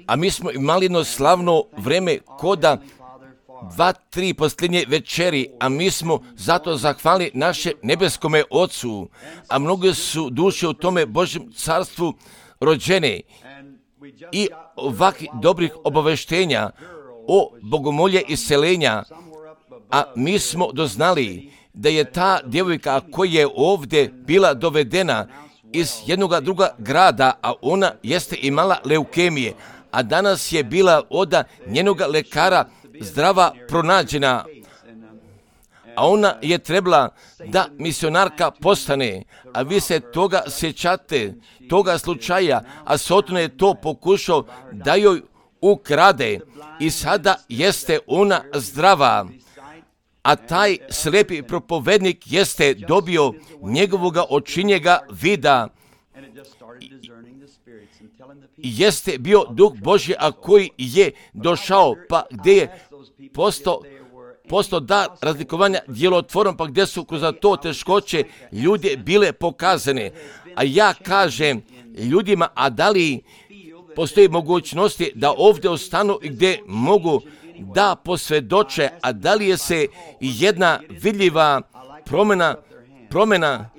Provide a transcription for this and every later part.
A mi smo imali jedno slavno vreme koda 2-3 posljednje večeri, a mi smo zato zahvalili naše nebeskome Ocu, a mnoge su duše u tome Božjem carstvu rođene i ovakvih dobrih obaveštenja o bogomolje iseljenja, a mi smo doznali da je ta djevojka koja je ovdje bila dovedena iz jednog druga grada, a ona jeste imala leukemije, a danas je bila od njenog lekara zdrava pronađena, a ona je trebala da misionarka postane, a vi se toga sjećate, toga slučaja, a Satan je to pokušao da joj ukrade i sada jeste ona zdrava, a taj slijepi propovednik jeste dobio njegovoga očinjega vida. Jeste bio Duh Božji, a koji je došao, pa gdje je postao dar razlikovanja djelotvorom, pa gdje su kroz to teškoće ljudi bile pokazane. A ja kažem ljudima, a da li postoji mogućnosti da ovdje ostanu i gdje mogu da posvjedoče, a da li je se jedna vidljiva promjena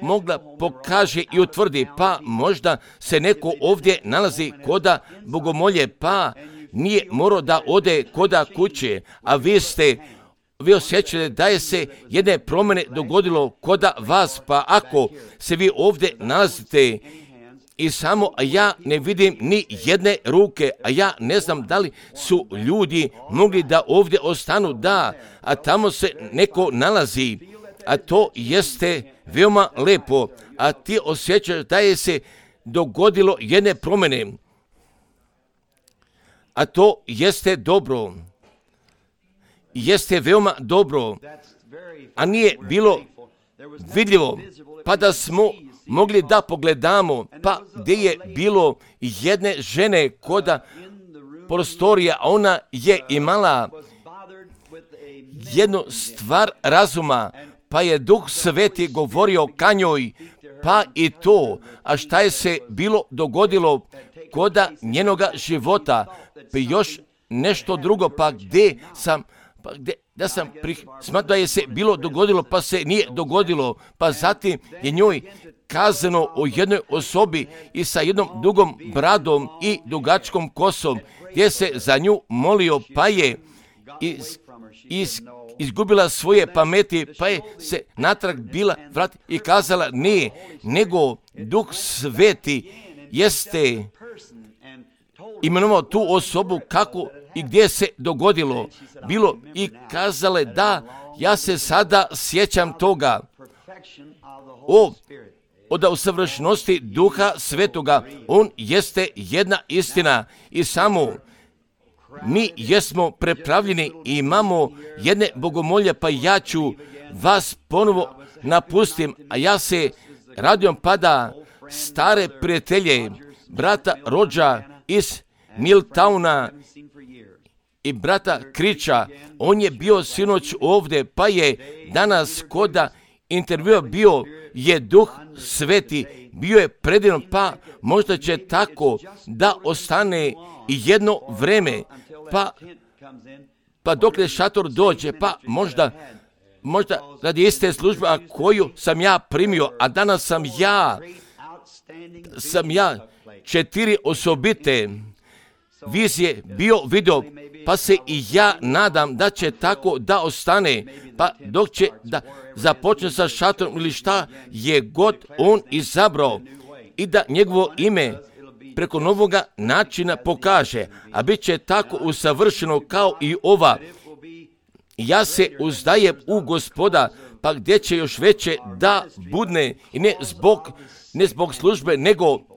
mogla pokaže i utvrdi, pa možda se neko ovdje nalazi koda bogomolje, pa nije morao da ode koda kuće, a vi osjećate da je se jedne promjene dogodilo koda vas, pa ako se vi ovdje nalazite i samo ja ne vidim ni jedne ruke, a ja ne znam da li su ljudi mogli da ovdje ostanu, da, a tamo se neko nalazi, a to jeste veoma lepo, a ti osjećaš da je se dogodilo jedne promjene, a to jeste dobro, jeste veoma dobro, a nije bilo vidljivo, pa da smo mogli da pogledamo, pa gdje je bilo jedne žene koda prostorija, a ona je imala jednu stvar razuma, pa je Duh Sveti govorio ka njoj, pa i to, a šta je se bilo dogodilo koda njenoga života, pa još nešto drugo, pa gdje sam smatrao da je se bilo dogodilo, pa se nije dogodilo, pa zatim je njoj kazano o jednoj osobi i sa jednom dugom bradom i dugačkom kosom, gdje se za nju molio, pa je izgubila svoje pameti, pa je se natrag bila vrati i kazala nije, nego Duh Sveti jeste imenovao tu osobu kako i gdje se dogodilo bilo i kazale da ja se sada sjećam toga od usavršenosti Duha Svetoga. On jeste jedna istina i samo mi jesmo prepravljeni i imamo jedne bogomolje, pa ja ću vas ponovo napustim, a ja se radujem pada stare prijatelje, brata Rođa iz Milltowna i brata Kriča. On je bio sinoć ovdje, pa je danas koda intervjua bio je Duh Sveti, bio je predivan, pa možda će tako da ostane i jedno vreme, pa dokle šator dođe, pa možda radi iste službe koju sam ja primio, a danas sam ja 4 osobite vizije bio vidio, pa se i ja nadam da će tako da ostane, pa dok će da započne sa šatorom ili šta je god on izabrao i da njegovo ime preko novoga načina pokaže, a bit će tako usavršeno kao i ova. Ja se uzdajem u Gospoda, pa gdje će još veće da budne i ne zbog službe,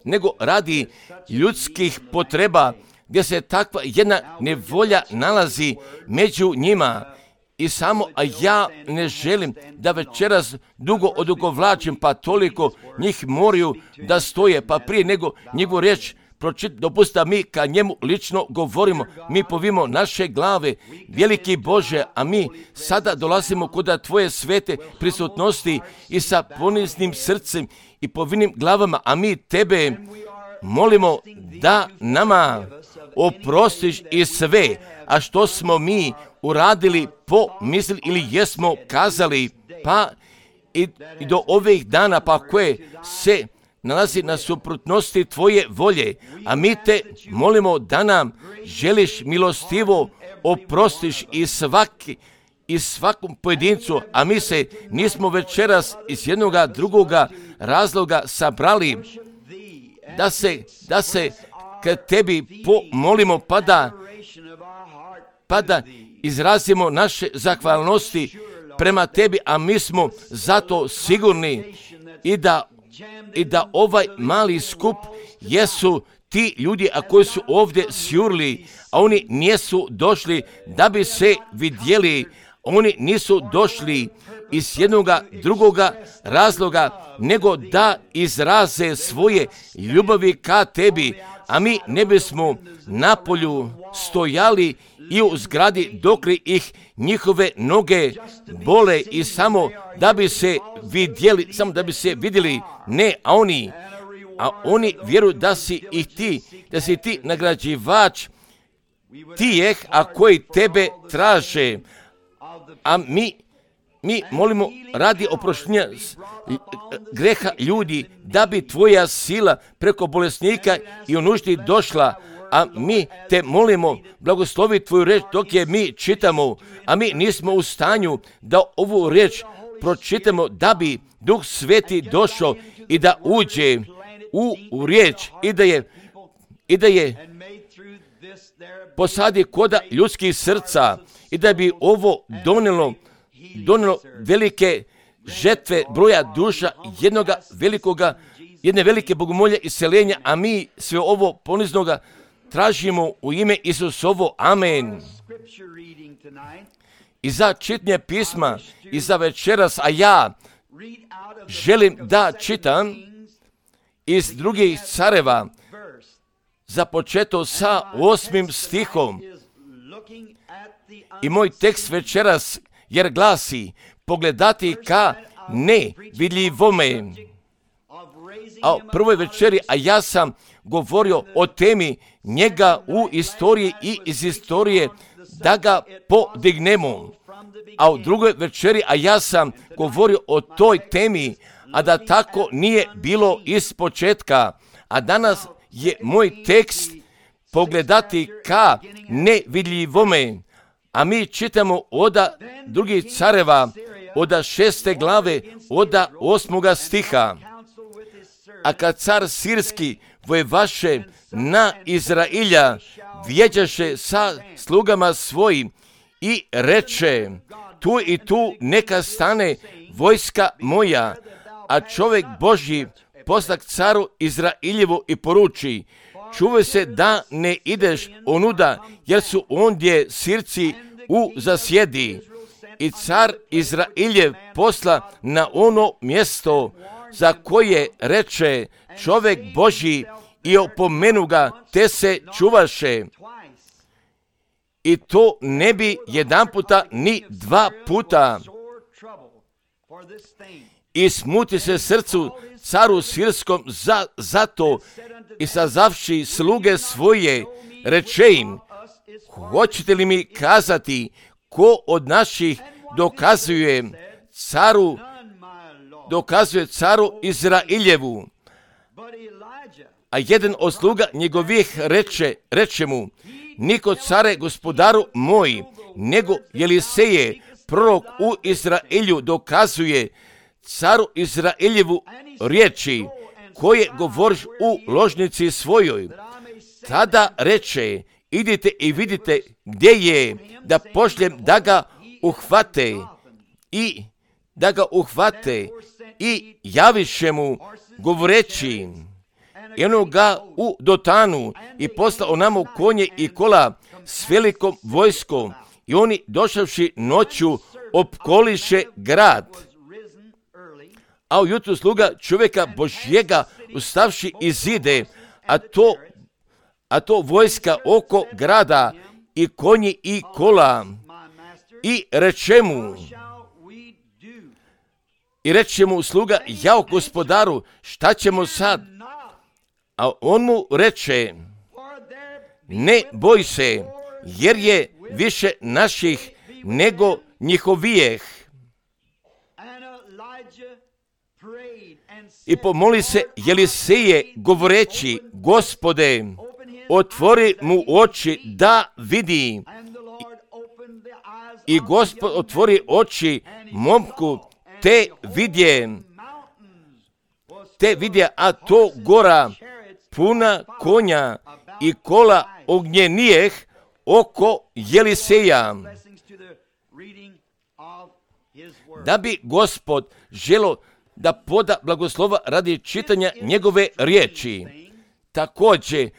nego radi ljudskih potreba, gdje se takva jedna nevolja nalazi među njima. I samo, a ja ne želim da večeras dugo odugovlačim, pa toliko njih moraju da stoje, pa prije nego njegovu riječ Dopusti da mi ka njemu lično govorimo, mi povimo naše glave, veliki Bože, a mi sada dolazimo kod Tvoje svete prisutnosti i sa poniznim srcem i povinim glavama, a mi Tebe molimo da nama oprostiš i sve, a što smo mi uradili, pomislili ili jesmo kazali, pa i do ovih dana, pa koje se nalazi na suprotnosti Tvoje volje, a mi Te molimo da nam želiš milostivo oprostiš i svakom pojedincu, a mi se nismo večeras iz jednoga drugoga razloga sabrali, da se k Tebi pomolimo, pa da izrazimo naše zahvalnosti prema Tebi, a mi smo zato sigurni i da ovaj mali skup jesu ti ljudi koji su ovdje sjurili, a oni nisu došli da bi se vidjeli, oni nisu došli iz jednoga drugoga razloga, nego da izraze svoje ljubavi ka Tebi, a mi ne bismo napolju stojali i u zgradi dok li ih njihove noge bole i samo da bi se vidjeli, ne, a oni vjeruju da si ti nagrađivač tijeh, a koji Tebe traže, a mi molimo radi oproštenja greha ljudi, da bi Tvoja sila preko bolesnika i u nuždi došla, a mi Te molimo, blagoslovi Tvoju reč dok je mi čitamo, a mi nismo u stanju da ovu reč pročitamo, da bi Duh Sveti došao i da uđe u riječ i da je posadi koda ljudskih srca i da bi ovo donelo velike žetve broja duša jedne velike bogomolje iseljenja, a mi sve ovo poniznoga tražimo u ime Isusovo. Amen. I za čitanje pisma i za večeras, a ja želim da čitam iz drugih careva, započeto sa 8. stihom. I moj tekst večeras jer glasi: pogledati ka nevidljivome. A u prvoj večeri, a ja sam govorio o temi njega u istoriji i iz istorije da ga podignemo. A u drugoj večeri, a ja sam govorio o toj temi, a da tako nije bilo iz početka. A danas je moj tekst pogledati ka nevidljivome. A mi čitamo od drugih careva, od 6. glave, od 8. stiha. A kad car sirski vojevaše na Izrailja, vjeđaše sa slugama svojim i reče: tu i tu neka stane vojska moja. A čovjek Božji poslak caru Izrailjevu i poruči: čuvaj se da ne ideš onuda, jer su ondje Sirci u zasjedi. I car Izrailjev posla na ono mjesto za koje reče čovjek Božji i opomenu ga, te se čuvaše. I to ne bi jedan puta ni 2 puta. I smuti se srcu caru sirskom zato i sazavši sluge svoje, reče im: hoćete li mi kazati ko od naših dokazuje caru Izrailjevu? A jedan od sluga njegovih reče mu: niko care gospodaru moj, nego Jeliseje, prorok u Izrailju, dokazuje caru Izrailjevu riječi koje govoriš u ložnici svojoj. Tada reče: idite i vidite gdje je, da pošljem da ga uhvate i javiše mu govoreći. I ono ga u Dotanu i poslao namo konje i kola s velikom vojskom, i oni došavši noću opkoliše grad. A ujutru sluga čovjeka Božjega ustavši izide, a to a to vojska oko grada i konji i kola. I reče mu sluga, jao gospodaru, šta ćemo sad? A on mu reče, ne boj se, jer je više naših nego njihovijeh. I pomoli se Eliseje govoreći, Gospode, otvori mu oči da vidi. I Gospod otvori oči momku, te vidje, a to gora puna konja i kola ognjenijeh oko Eliseja. Da bi Gospod želo da poda blagoslova radi čitanja njegove riječi. Također,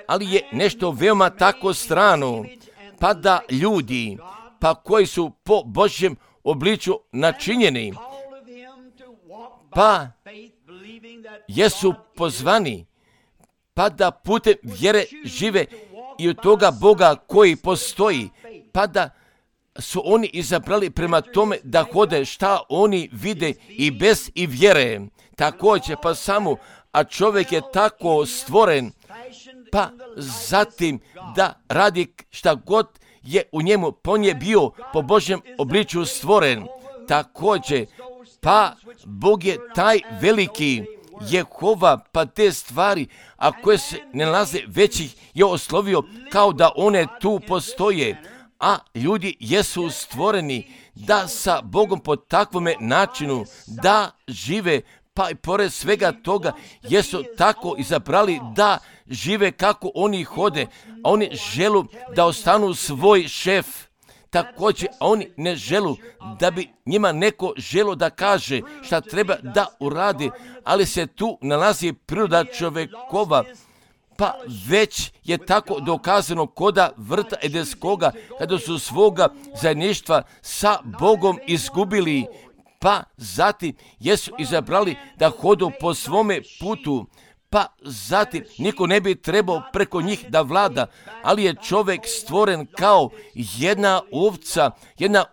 ali je nešto veoma tako strano, pa da ljudi, koji su po Božjem obliču načinjeni, pa jesu pozvani, pa da putem vjere žive i od toga Boga koji postoji, pa da su oni izabrali prema tome da hode šta oni vide i bez i vjere. Također, pa samo, a čovjek je tako stvoren, pa zatim da radi šta god je u njemu, on je bio po Božjem obliču stvoren. Također, pa Bog je taj veliki Jehova, pa te stvari, a koje se ne nalaze većih, je oslovio kao da one tu postoje. A ljudi jesu stvoreni da sa Bogom po takvome načinu da žive, pa i pored svega toga jesu tako izabrali da žive kako oni hode, a oni želu da ostanu svoj šef. Također, a oni ne želu da bi njima neko želo da kaže šta treba da uradi, ali se tu nalazi priroda čovjekova, pa već je tako dokazano koda vrta Edenskoga, kada su svoga zajedništva sa Bogom izgubili, pa zatim jesu izabrali da hodu po svome putu, pa zatim niko ne bi trebao preko njih da vlada, ali je čovjek stvoren kao jedna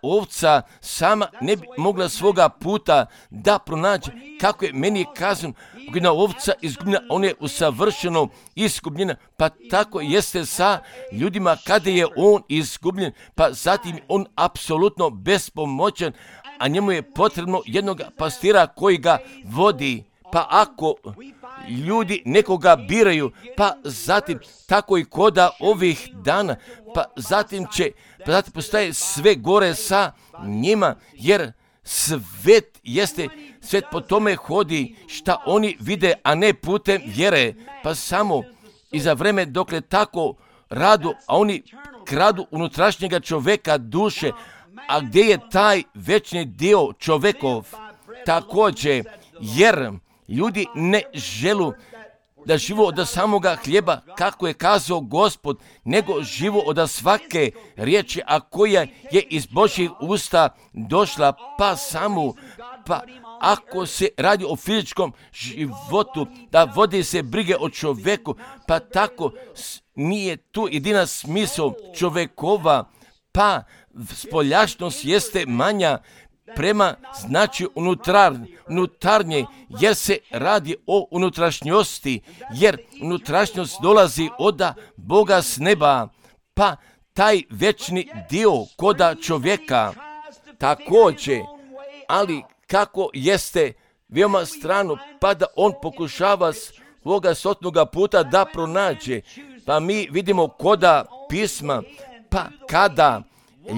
ovca sama ne bi mogla svoga puta da pronađe. Kako je meni kazano, jedna ovca izgubljena, on je usavršeno izgubljena, pa tako jeste sa ljudima kada je on izgubljen, pa zatim on apsolutno bespomoćan, a njemu je potrebno jednog pastira koji ga vodi. Pa ako ljudi nekoga biraju, pa zatim tako i koda ovih dana, pa zatim postaje sve gore sa njima, jer svet po tome hodi šta oni vide, a ne putem vjere, pa samo i za vreme dokle tako radu, a oni kradu unutrašnjega čoveka duše, a gdje je taj večni dio čovekov? Također, jer ljudi ne želu da živo od samoga hljeba, kako je kazao Gospod, nego živo od svake riječi, a koja je iz Božjih usta došla, pa samo, pa ako se radi o fizičkom životu, da vodi se brige o čoveku, pa tako nije tu jedina smisao čovekova, pa spoljašnost jeste manja prema znači unutarnje, jer se radi o unutrašnjosti, jer unutrašnjost dolazi od Boga s neba, pa taj večni dio koda čovjeka. Također, ali kako jeste veoma strano, pa da on pokušava svoga stotnoga puta da pronađe, pa mi vidimo koda pisma, pa kada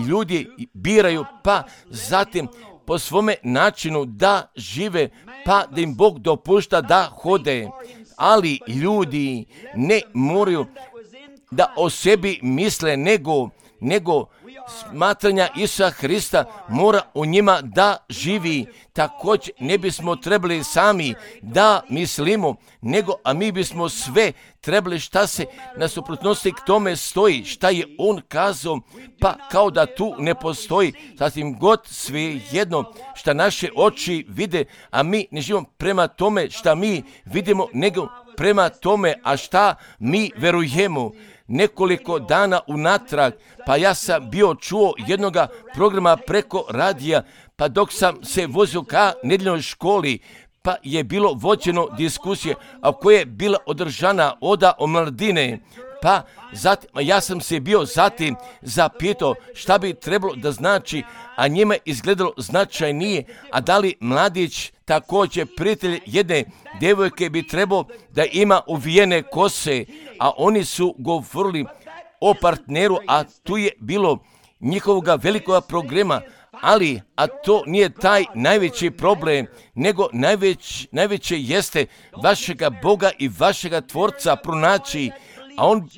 ljudi biraju, pa zatim po svome načinu da žive, pa da im Bog dopušta da hode. Ali ljudi ne moraju da o sebi misle, nego smatranja Isusa Hrista mora u njima da živi. Također ne bismo trebali sami da mislimo, nego a mi bismo sve trebali šta se na suprotnosti k tome stoji, šta je on kazao, pa kao da tu ne postoji, sasvim god sve jedno šta naše oči vide, a mi ne živimo prema tome šta mi vidimo, nego prema tome, a šta mi verujemo. Nekoliko dana unatrag, pa ja sam bio čuo jednoga programa preko radija, pa dok sam se vozio ka nedjeljnoj školi, pa je bilo vođeno diskusije, a koja je bila održana oda omladine. Pa zatim, ja sam se bio zatim zapitao šta bi trebalo da znači, a njima izgledalo značajnije, a da li mladić također prijatelj jedne devojke bi trebao da ima uvijene kose, a oni su govorili o partneru, a tu je bilo njihovoga velikog programa, ali, a to nije taj najveći problem, nego najveće jeste vašega Boga i vašega Tvorca pronaći, a on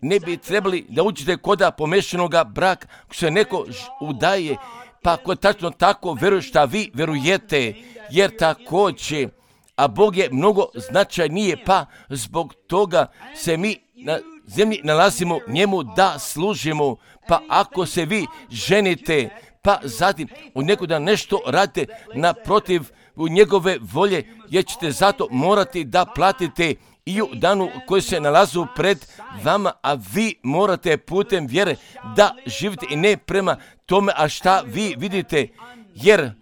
ne bi trebali da uđete koda pomešanoga braka, ako se neko udaje, pa ako tačno tako veruje šta vi verujete, jer također, a Bog je mnogo značajnije, pa zbog toga se mi na zemlji nalazimo njemu da služimo, pa ako se vi ženite, pa zatim u neko da nešto radite naprotiv u njegove volje, jer ćete zato morati da platite i u danu koji se nalazu pred vama, a vi morate putem vjere da živite i ne prema tome, a šta vi vidite, jer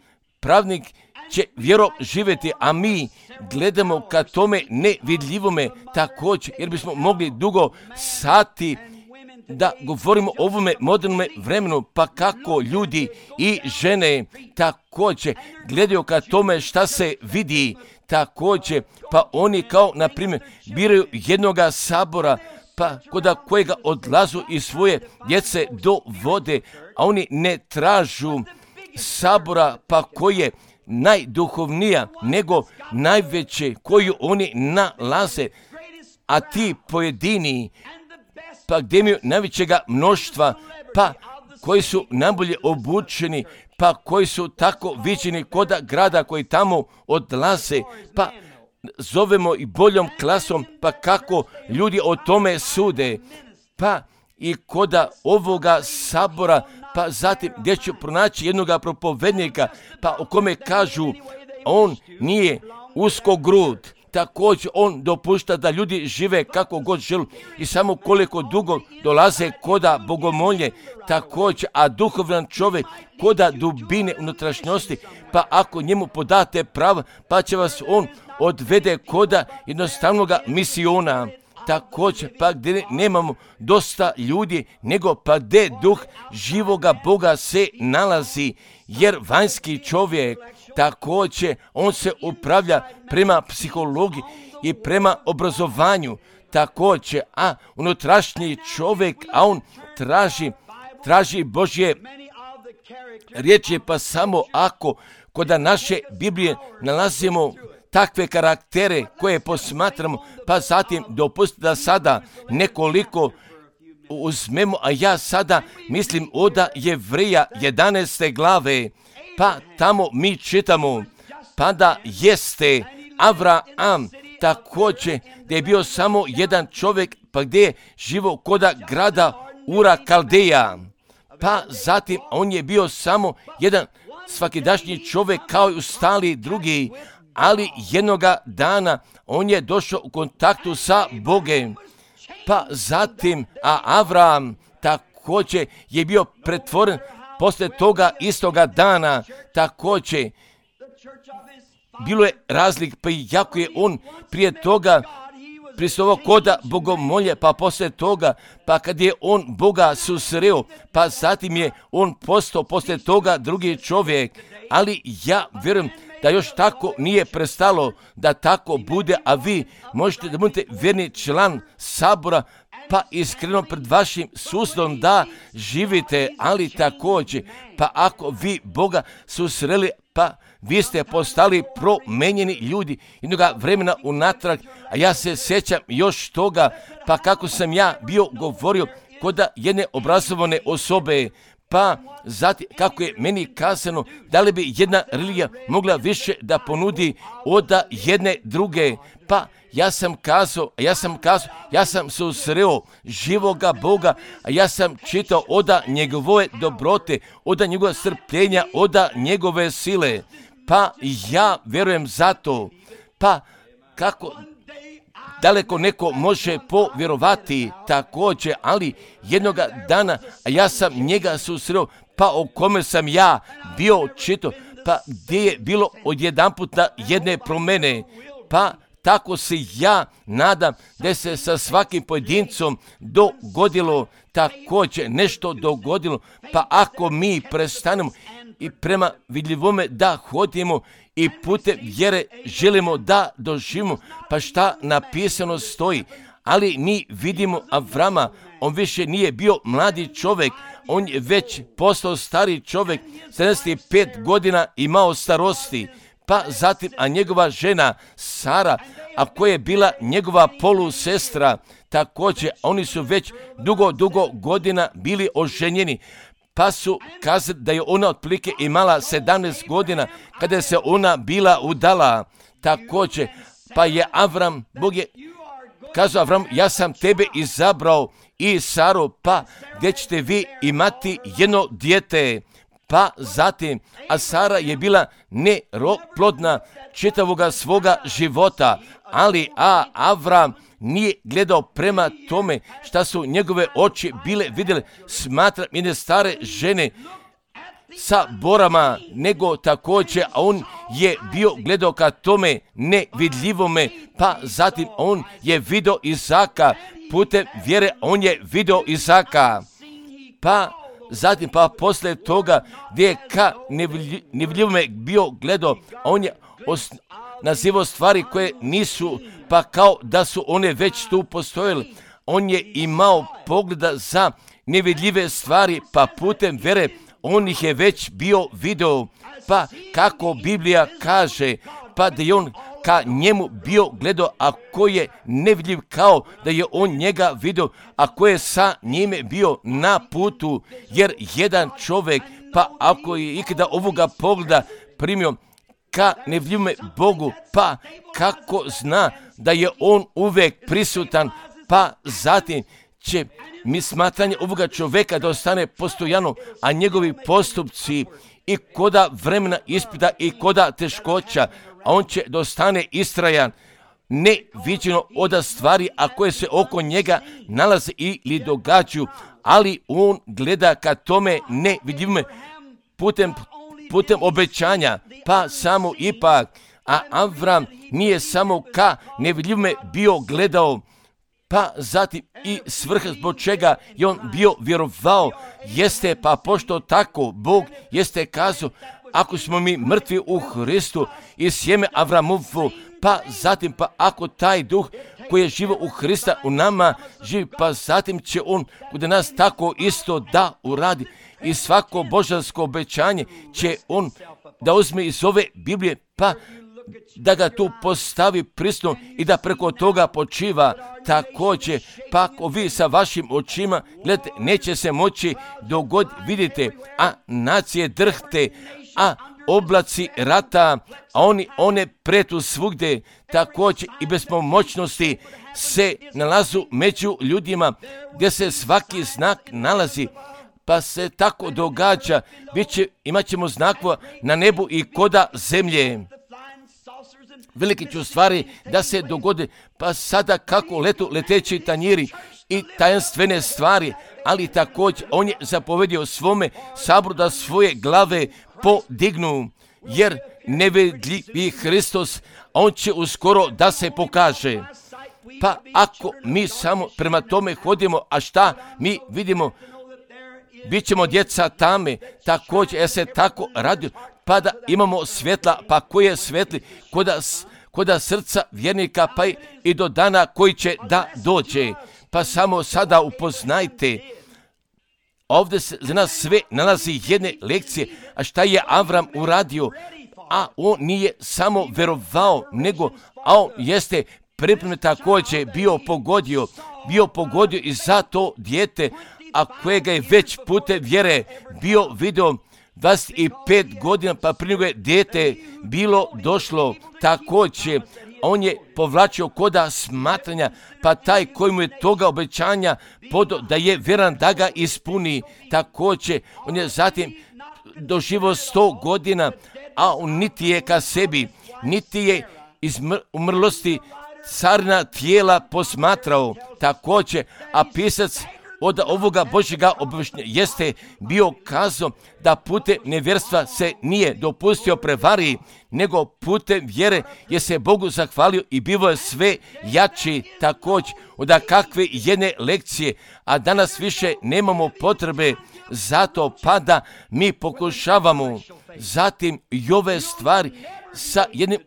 pravnik će vjero živjeti, a mi gledamo ka tome nevidljivome također, jer bismo mogli dugo sati da govorimo o ovome modernome vremenu, pa kako ljudi i žene također gledaju ka tome šta se vidi također, pa oni kao, na primjer, biraju jednoga sabora, pa kod kojega odlazu i svoje djece do vode, a oni ne tražu sabora, pa koje najduhovnija, nego najveće koju oni nalaze, a ti pojedini, pa gdje imaju najvećega mnoštva, pa koji su najbolje obučeni, pa koji su tako viđeni koda grada koji tamo odlaze, pa zovemo i boljom klasom, pa kako ljudi o tome sude, pa i koda ovoga sabora, pa zatim gdje ću pronaći jednoga propovednika, pa o kome kažu on nije uskogrud, također on dopušta da ljudi žive kako god žele i samo koliko dugo dolaze koda bogomolje, također, a duhovan čovjek koda dubine unutrašnjosti, pa ako njemu podate pravo, pa će vas on odvede koda jednostavnoga misiona. Također, pa gdje nemamo dosta ljudi, nego pa gdje duh živoga Boga se nalazi, jer vanjski čovjek također, on se upravlja prema psihologiji i prema obrazovanju, također, a unutrašnji čovjek, a on traži Božje riječi, pa samo ako kod naše Biblije nalazimo takve karaktere koje posmatramo, pa zatim dopustite da sada nekoliko uzmemo, a ja sada mislim od Jevreja 11. glave, pa tamo mi čitamo, pa da jeste Avraam također gdje je bio samo jedan čovjek, pa gdje je živo koda grada Ura Kaldeja, pa zatim on je bio samo jedan svakidašnji čovjek kao i ostali drugi, ali jednoga dana on je došao u kontaktu sa Bogom, pa zatim, a Avram također je bio pretvoren poslije toga istoga dana, također bilo je razlik, pa jako je on prije toga pristovao koda bogomolje, pa poslije toga, pa kad je on Boga susreo, pa zatim je on postao poslije toga drugi čovjek, ali ja vjerujem da još tako nije prestalo da tako bude, a vi možete da budete vjerni član sabora, pa iskreno pred vašim susjedom da živite, ali također, pa ako vi Boga susreli, pa vi ste postali promenjeni ljudi jednoga vremena unatrag, a ja se sjećam još toga, pa kako sam ja bio govorio kod jedne obrazovane osobe, Pa zatim, kako je meni kazano, da li bi jedna religija mogla više da ponudi od jedne druge? Pa ja sam kazao, ja sam susreo živoga Boga, a ja sam čitao od njegove dobrote, od njegove strpljenja, od njegove sile. Pa ja vjerujem za to. Pa kako daleko neko može povjerovati također, ali jednoga dana, a ja sam njega susreo, pa o kome sam ja bio čitao, pa gdje je bilo odjedanputa jedne promjene, pa tako se ja nadam da se sa svakim pojedincom dogodilo također nešto dogodilo, pa ako mi prestanemo i prema vidljivome da hodimo i putem vjere želimo da doživimo, pa šta napisano stoji. Ali mi vidimo Avrama, on više nije bio mladi čovjek, on je već postao stari čovjek, 75 godina imao starosti. Pa zatim, a njegova žena Sara, a koja je bila njegova polusestra, također, oni su već dugo godina bili oženjeni. Pa su kazali da je ona otprilike imala 17 godina kada se ona bila udala. Također, pa je Avram, Bog je kazao Avram, ja sam tebe izabrao i Saru, pa gdje ćete vi imati jedno dijete. Pa zatim, a Sara je bila neplodna čitavoga svoga života, ali Avram nije gledao prema tome šta su njegove oči bile vidjele, smatra jedne stare žene sa borama, nego također on je bio gledao ka tome nevidljivome, pa zatim on je vidio Izaka, putem vjere on je vidio Izaka, pa zatim pa poslije toga gdje je ka nevidljivome bio gledao, on je nazivao stvari koje nisu, pa kao da su one već tu postojale. On je imao pogleda za nevidljive stvari, pa putem vjere on ih je već bio video. Pa kako Biblija kaže, pa da je on ka njemu bio gledao, a ko je nevidljiv kao da je on njega vidio, a ko je sa njime bio na putu, jer jedan čovjek, pa ako je ikada ovoga pogleda primio ka nevidljivome Bogu, pa kako zna da je on uvijek prisutan, pa zatim će mi smatranje ovoga čovjeka da ostane postojano, a njegovi postupci i koda vremena ispita i koda teškoća, a on će da ostane istrajan, neviđeno od stvari, a koje se oko njega nalaze ili događaju, ali on gleda ka tome nevidljivome putem obećanja, pa samo ipak, a Avram nije samo ka nevidljivome bio gledao, pa zatim i svrha zbog čega je on bio vjerovao, jeste pa pošto tako Bog jeste kazao, ako smo mi mrtvi u Hristu i sjeme Avramovu, pa zatim pa ako taj duh koji je živo u Hrista u nama živi, pa zatim će on kod nas tako isto da uradi i svako božansko obećanje će on da uzme iz ove Biblije, pa da ga tu postavi prisno i da preko toga počiva također. Pa ako vi sa vašim očima gledate, neće se moći dogod vidite, a nacije drhte, a oblaci rata, a one pretu svugdje, također i bez pomoćnosti se nalazu među ljudima gdje se svaki znak nalazi, pa se tako događa, imat ćemo znakova na nebu i koda zemlje. Velike će stvari da se dogode, pa sada kako leteći tanjiri i tajanstvene stvari, ali također on je zapovedio svome saboru da svoje glave podignu, jer nevidljivi Hristos, on će uskoro da se pokaže. Pa ako mi samo prema tome hodimo, a šta mi vidimo, bit ćemo djeca tame, također ja se tako radio, pa da imamo svjetla, pa koji je svetli, koda srca vjernika, pa i do dana koji će da dođe. Pa samo sada upoznajte, ovdje se za nas sve nalazi jedne lekcije, a šta je Avram uradio, a on nije samo verovao, nego, a on jeste pripremljen također bio pogodio i za to dijete, a kojega je već putem vjere bio video 25 godina, pa prije nego je dijete bilo došlo. Također, on je povlačio koda smatranja, pa taj koji mu je toga obećanja podo da je vjeran da ga ispuni. Također, on je zatim doživio 100 godina, a on niti je ka sebi, niti je iz umrlosti carina tijela posmatrao. Također, a pisac od ovoga Božjega obavještenja jeste bio kazao da putem nevjerstva se nije dopustio prevari, nego putem vjere je se Bogu zahvalio i bivo je sve jači. Također, od kakve jedne lekcije, a danas više nemamo potrebe, zato pa da mi pokušavamo zatim i ove stvari sa jednim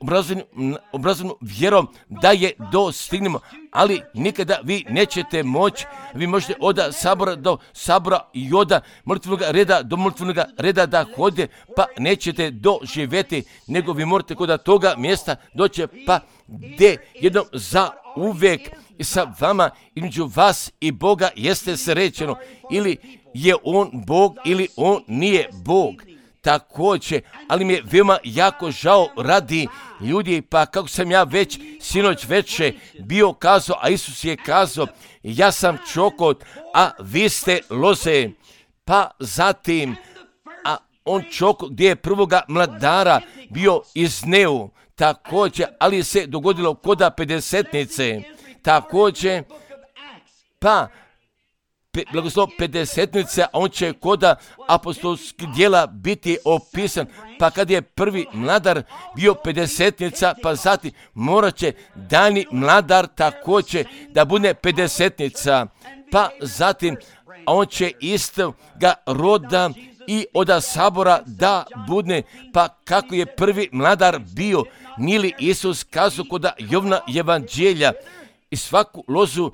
obrazovnom vjerom da je dostignemo, ali nikada vi nećete moći. Vi možete od sabora do sabora i od molitvenog reda do molitvenog reda da hodite, pa nećete doživjeti, nego vi morate kod toga mjesta doći, pa gdje jednom za uvijek i sa vama, između vas i Boga jeste se rečeno, ili je on Bog ili on nije Bog. Također, ali mi je veoma jako žao radi ljudi, pa kako sam ja već sinoć veče bio kazao, a Isus je kazao, ja sam čokot, a vi ste loze. Pa zatim, a on čokot gdje je prvoga mladara bio izneo. Također, ali se dogodilo koda pedesetnice. Također, pa blagoslov pedesetnice, a on će koda apostolskih djela biti opisan. Pa kad je prvi mladar bio pedesetnica, pa zatim morat će daljnji mladar također da bude pedesetnica. Pa zatim on će istoga roda i od sabora da bude, pa kako je prvi mladar bio, nije li Isus kazao kod Jovna evanđelja, i svaku lozu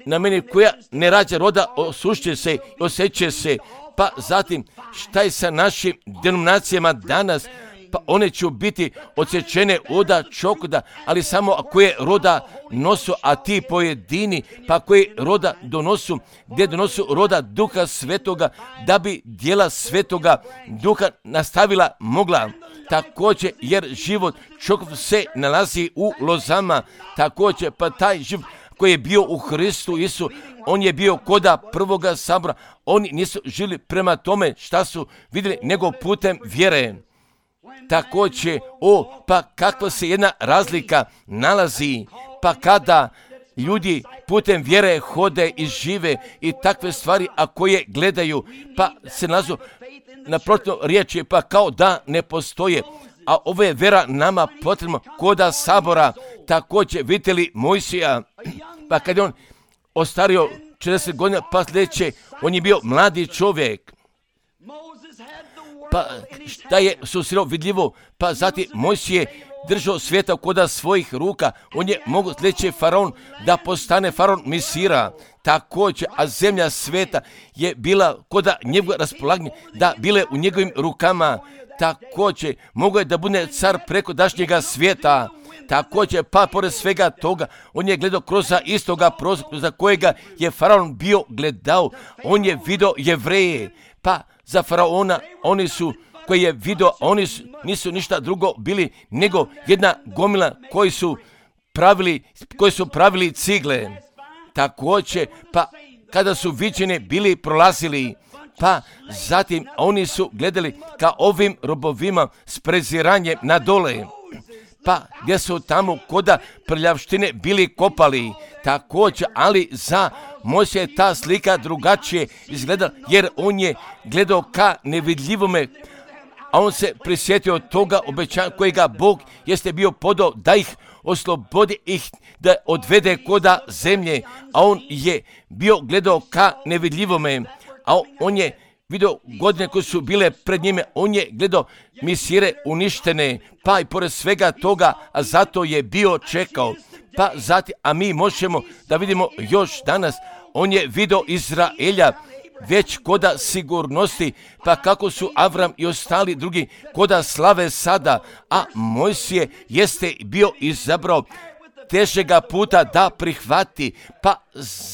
na meni koja ne rađa roda osušće se, osjeće se. Pa zatim šta je sa našim denominacijama danas? Pa one će biti odsječene od čokoda, ali samo ako je roda nosu, a ti pojedini, pa koji roda donosu, gdje donosu roda Duha Svetoga, da bi djela Svetoga Duha nastavila mogla. Također, jer život čokov se nalazi u lozama, također, pa taj život koji je bio u Hristu Isu, on je bio koda prvoga sabora. Oni nisu žili prema tome šta su vidjeli, nego putem vjere. Također, pa kakva se jedna razlika nalazi, pa kada ljudi putem vjere hode i žive i takve stvari, a koje gledaju, pa se nalazu naprotiv riječi, pa kao da ne postoje. A ovo je vera nama potrebno koda sabora. Također, vidite li Mojsija, pa kad je on ostario 40 godina, pa sljedeće, on je bio mladi čovjek. Pa šta je susreo vidljivo, pa zatim Mojsije držao svijeta koda svojih ruka, on je mogo sljedeći faraon da postane faraon Misira. Također, a zemlja sveta je bila koda njegovog raspolaganja, da bile u njegovim rukama. Također, mogo je da bude car preko dašnjega svijeta. Također, pa pored svega toga, on je gledao kroz istoga prozora za kojega je faraon bio gledao. On je vidio Jevreje, pa za faraona oni su, koji je vidio, oni nisu ništa drugo bili nego jedna gomila koji su pravili cigle. Također, pa kada su viđene bili prolazili, pa zatim oni su gledali ka ovim robovima s preziranjem na dole. Pa gdje su tamo koda prljavštine bili kopali. Također, ali za Mojsija je ta slika drugačije izgledala, jer on je gledao ka nevidljivome, a on se prisjetio toga obećanja kojega Bog jeste bio podao da ih oslobodi, ih da odvede koda zemlje, a on je bio gledao ka nevidljivome, a on je vidio godine koje su bile pred njime, on je gledao Misire uništene, pa i pored svega toga, a zato je bio čekao. Pa zatim, a mi možemo da vidimo još danas, on je vidio Izraelja već koda sigurnosti, pa kako su Avram i ostali drugi koda slave sada, a Mojsije jeste bio izabrao težega puta da prihvati, pa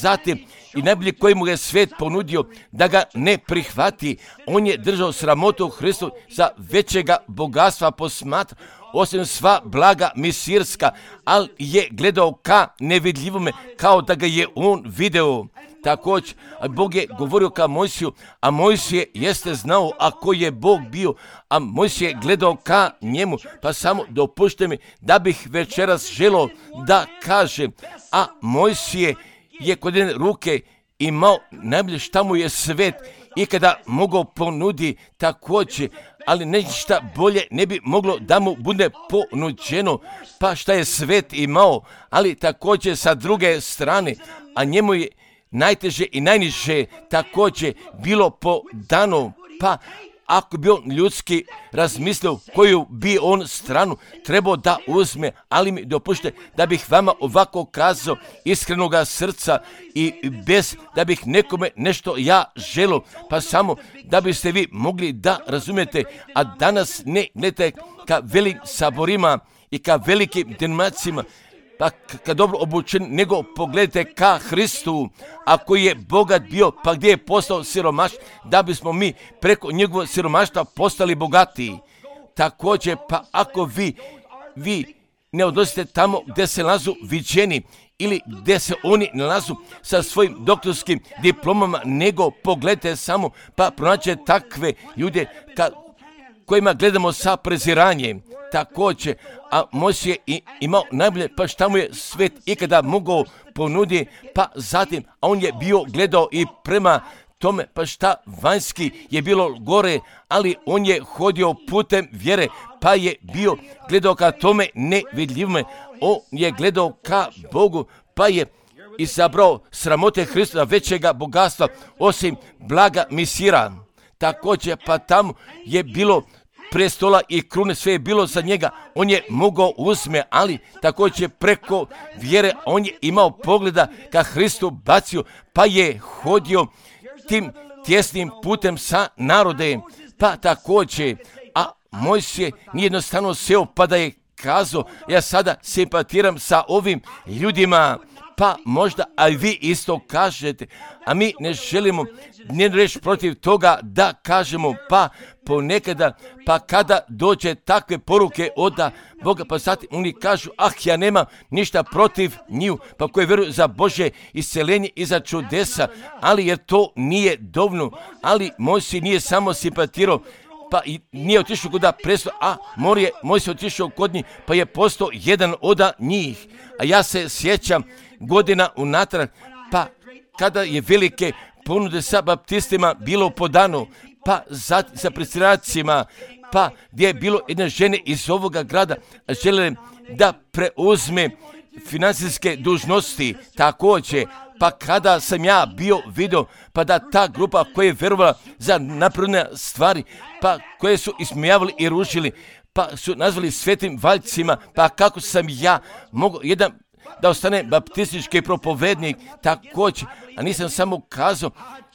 zatim i najbolje koji mu je svet ponudio da ga ne prihvati. On je držao sramotu Hristu za većega bogatstva posmatra, osim sva blaga misirska, ali je gledao ka nevidljivome, kao da ga je on video. Također, Bog je govorio ka Mojsiju, a Mojsije jeste znao ako je Bog bio, a Mojsije je gledao ka njemu. Pa samo dopušte mi da bih večeras želio da kažem, a Mojsije je kod jedne ruke imao najbolje šta mu je svet ikada mogao ponudi također, ali ništa bolje ne bi moglo da mu bude ponuđeno, pa šta je svet imao, ali također sa druge strane, a njemu je najteže i najniže također bilo podano, pa ako bi on ljudski razmislio koju bi on stranu trebao da uzme, ali mi dopušte da bih vama ovako kazao iskrenoga srca i bez da bih nekome nešto ja želio, pa samo da biste vi mogli da razumijete, a danas ne gledajte ka velikim saborima i ka velikim denominacijama, pa kad dobro obučen, nego pogledajte ka Hristu, ako je bogat bio, pa gdje je postao siromaš, da bismo mi preko njegovog siromaštva postali bogatiji. Također, pa ako vi ne odnosite tamo gdje se nalazu viđeni ili gdje se oni nalazu sa svojim doktorskim diplomama, nego pogledajte samo, pa pronađete takve ljude kojima gledamo sa preziranjem. Također, a Mojsije je imao najbolje, pa šta mu je svet ikada mogao ponuditi, pa zatim, a on je bio gledao i prema tome, pa šta vanjski je bilo gore, ali on je hodio putem vjere, pa je bio gledao ka tome nevidljivome, on je gledao ka Bogu, pa je izabrao sramote Hrista većega bogatstva, osim blaga misira. Također, pa tamo je bilo prestola i krune, sve je bilo za njega, on je mogao uzme, ali također preko vjere on je imao pogleda ka Hristu bacio, pa je hodio tim tjesnim putem sa narodem, pa također, a Mojsije nije jednostavno seo pa da je kazao, ja sada simpatiram sa ovim ljudima, pa možda, a vi isto kažete, a mi ne želimo ne reći protiv toga da kažemo, pa ponekada, pa kada dođe takve poruke od Boga, pa zatim oni kažu, ja nemam ništa protiv njih, pa koji vjeruju za Božje isceljenje i za čudesa, ali jer to nije dovoljno, ali Mojsije nije samo simpatirao, pa i nije otišao kod presto, a Mojsije otišao kod njih, pa je postao jedan od njih. A ja se sjećam godina unatrag, pa kada je velike ponude sa baptistima bilo podano, pa sa predsjednicima, pa gdje je bilo jedne žene iz ovoga grada žele da preuzme financijske dužnosti također, pa kada sam ja bio vidio, pa da ta grupa koja je vjerovala za napredne stvari, pa koje su ismijavali i rušili, pa su nazvali svetim valjcima, pa kako sam ja mogao jedan da ostane baptistički propovednik također, a nisam samo kazao,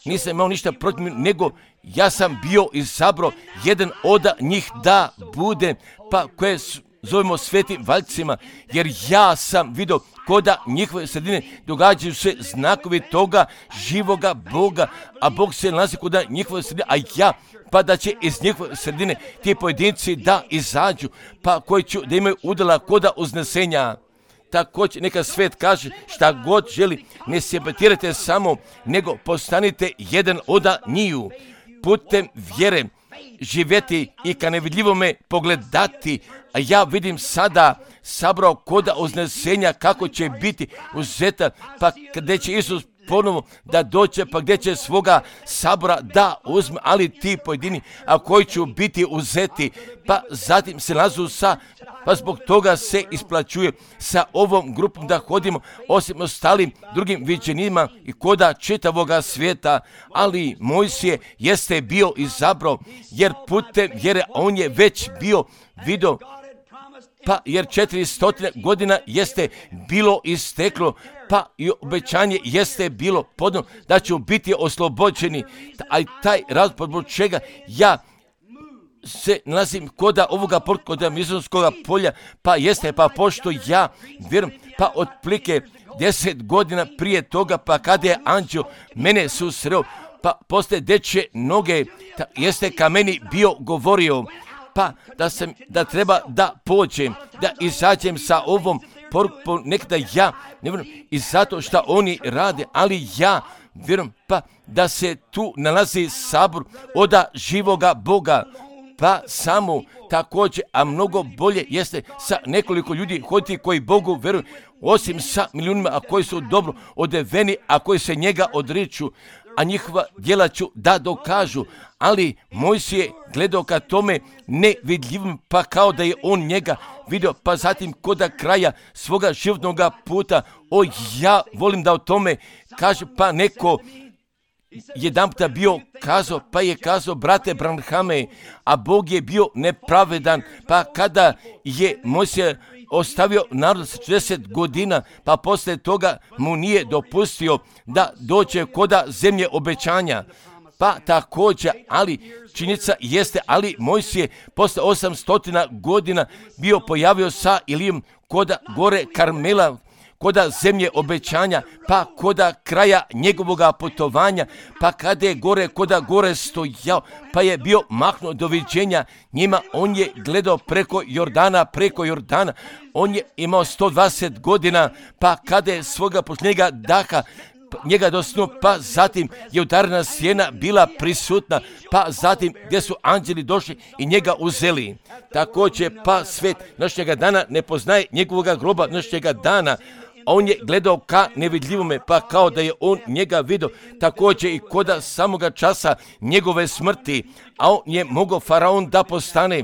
nisam imao ništa protiv, nego ja sam bio izabrao jedan od njih da bude, pa koje zovemo svetim valjcima, jer ja sam vidio koda njihove sredine događaju se znakovi toga živoga Boga, a Bog se nalazi koda njihove sredine, a ja pa da će iz njihove sredine ti pojedinci da izađu, pa koji će da imaju udjela koda uznesenja. Također neka svet kaže šta god želi, ne simpatirajte samo, nego postanite jedan od njih. Putem vjere živjeti i ka nevidljivome pogledati, a ja vidim sada sabrao koda uznesenja kako će biti uzeta, pa gdje će Isus ponovo da dođe, pa gdje će svoga sabora da uzme, ali ti pojedini, a koji će biti uzeti, pa zatim se nalazu pa zbog toga se isplaćuje sa ovom grupom da hodimo, osim ostalim drugim viđenima i koda čitavoga svijeta, ali Mojsije jeste bio izabrao, jer putem vjere on je već bio vidio, pa jer 400 godina jeste bilo isteklo, pa i obećanje jeste bilo podano da će biti oslobođeni, a i taj razlog zbog čega ja se nalazim koda ovoga koda Misonskoga polja, pa jeste, pa pošto ja vjerujem, pa otplike 10 godina prije toga, pa kada je anđeo mene susreo, pa poslije dečje noge, jeste ka meni bio govorio, pa da treba da pođem, da izađem sa ovom porukom, nekada ja ne vjerujem, i zato što oni rade, ali ja vjerujem, pa da se tu nalazi sabor oda živoga Boga, pa samo također, a mnogo bolje jeste sa nekoliko ljudi hoditi koji Bogu vjeruju, osim sa milijunima, a koji su dobro odeveni, a koji se njega odriču, a njihova djela ću da dokažu. Ali Mojsije je gledao ka tome nevidljivim, pa kao da je on njega vidio, pa zatim koda kraja svoga životnog puta, ja volim da o tome kaže, pa neko jedanputa bio kazao, pa je kazao, brate Branhame, a Bog je bio nepravedan, pa kada je Mojsije ostavio narod 40 godina, pa poslije toga mu nije dopustio da dođe koda zemlje obećanja. Pa također, ali činjenica jeste, ali Mojsije posle 800 godina bio pojavio sa Ilijom koda gore Karmela, koda zemlje obećanja, pa koda kraja njegovoga putovanja, pa kada je koda gore stojao, pa je bio mahnuo doviđenja njima, on je gledao preko Jordana, on je imao 120 godina, pa kada je svoga posljednjega daha njega dosnuo, pa zatim je udarna sjena bila prisutna, pa zatim gdje su anđeli došli i njega uzeli. Također, pa svet našega dana ne poznaje njegovoga groba našega dana, on je gledao ka nevidljivome, pa kao da je on njega vidio, također i koda samoga časa njegove smrti, a on je mogao faraon da postane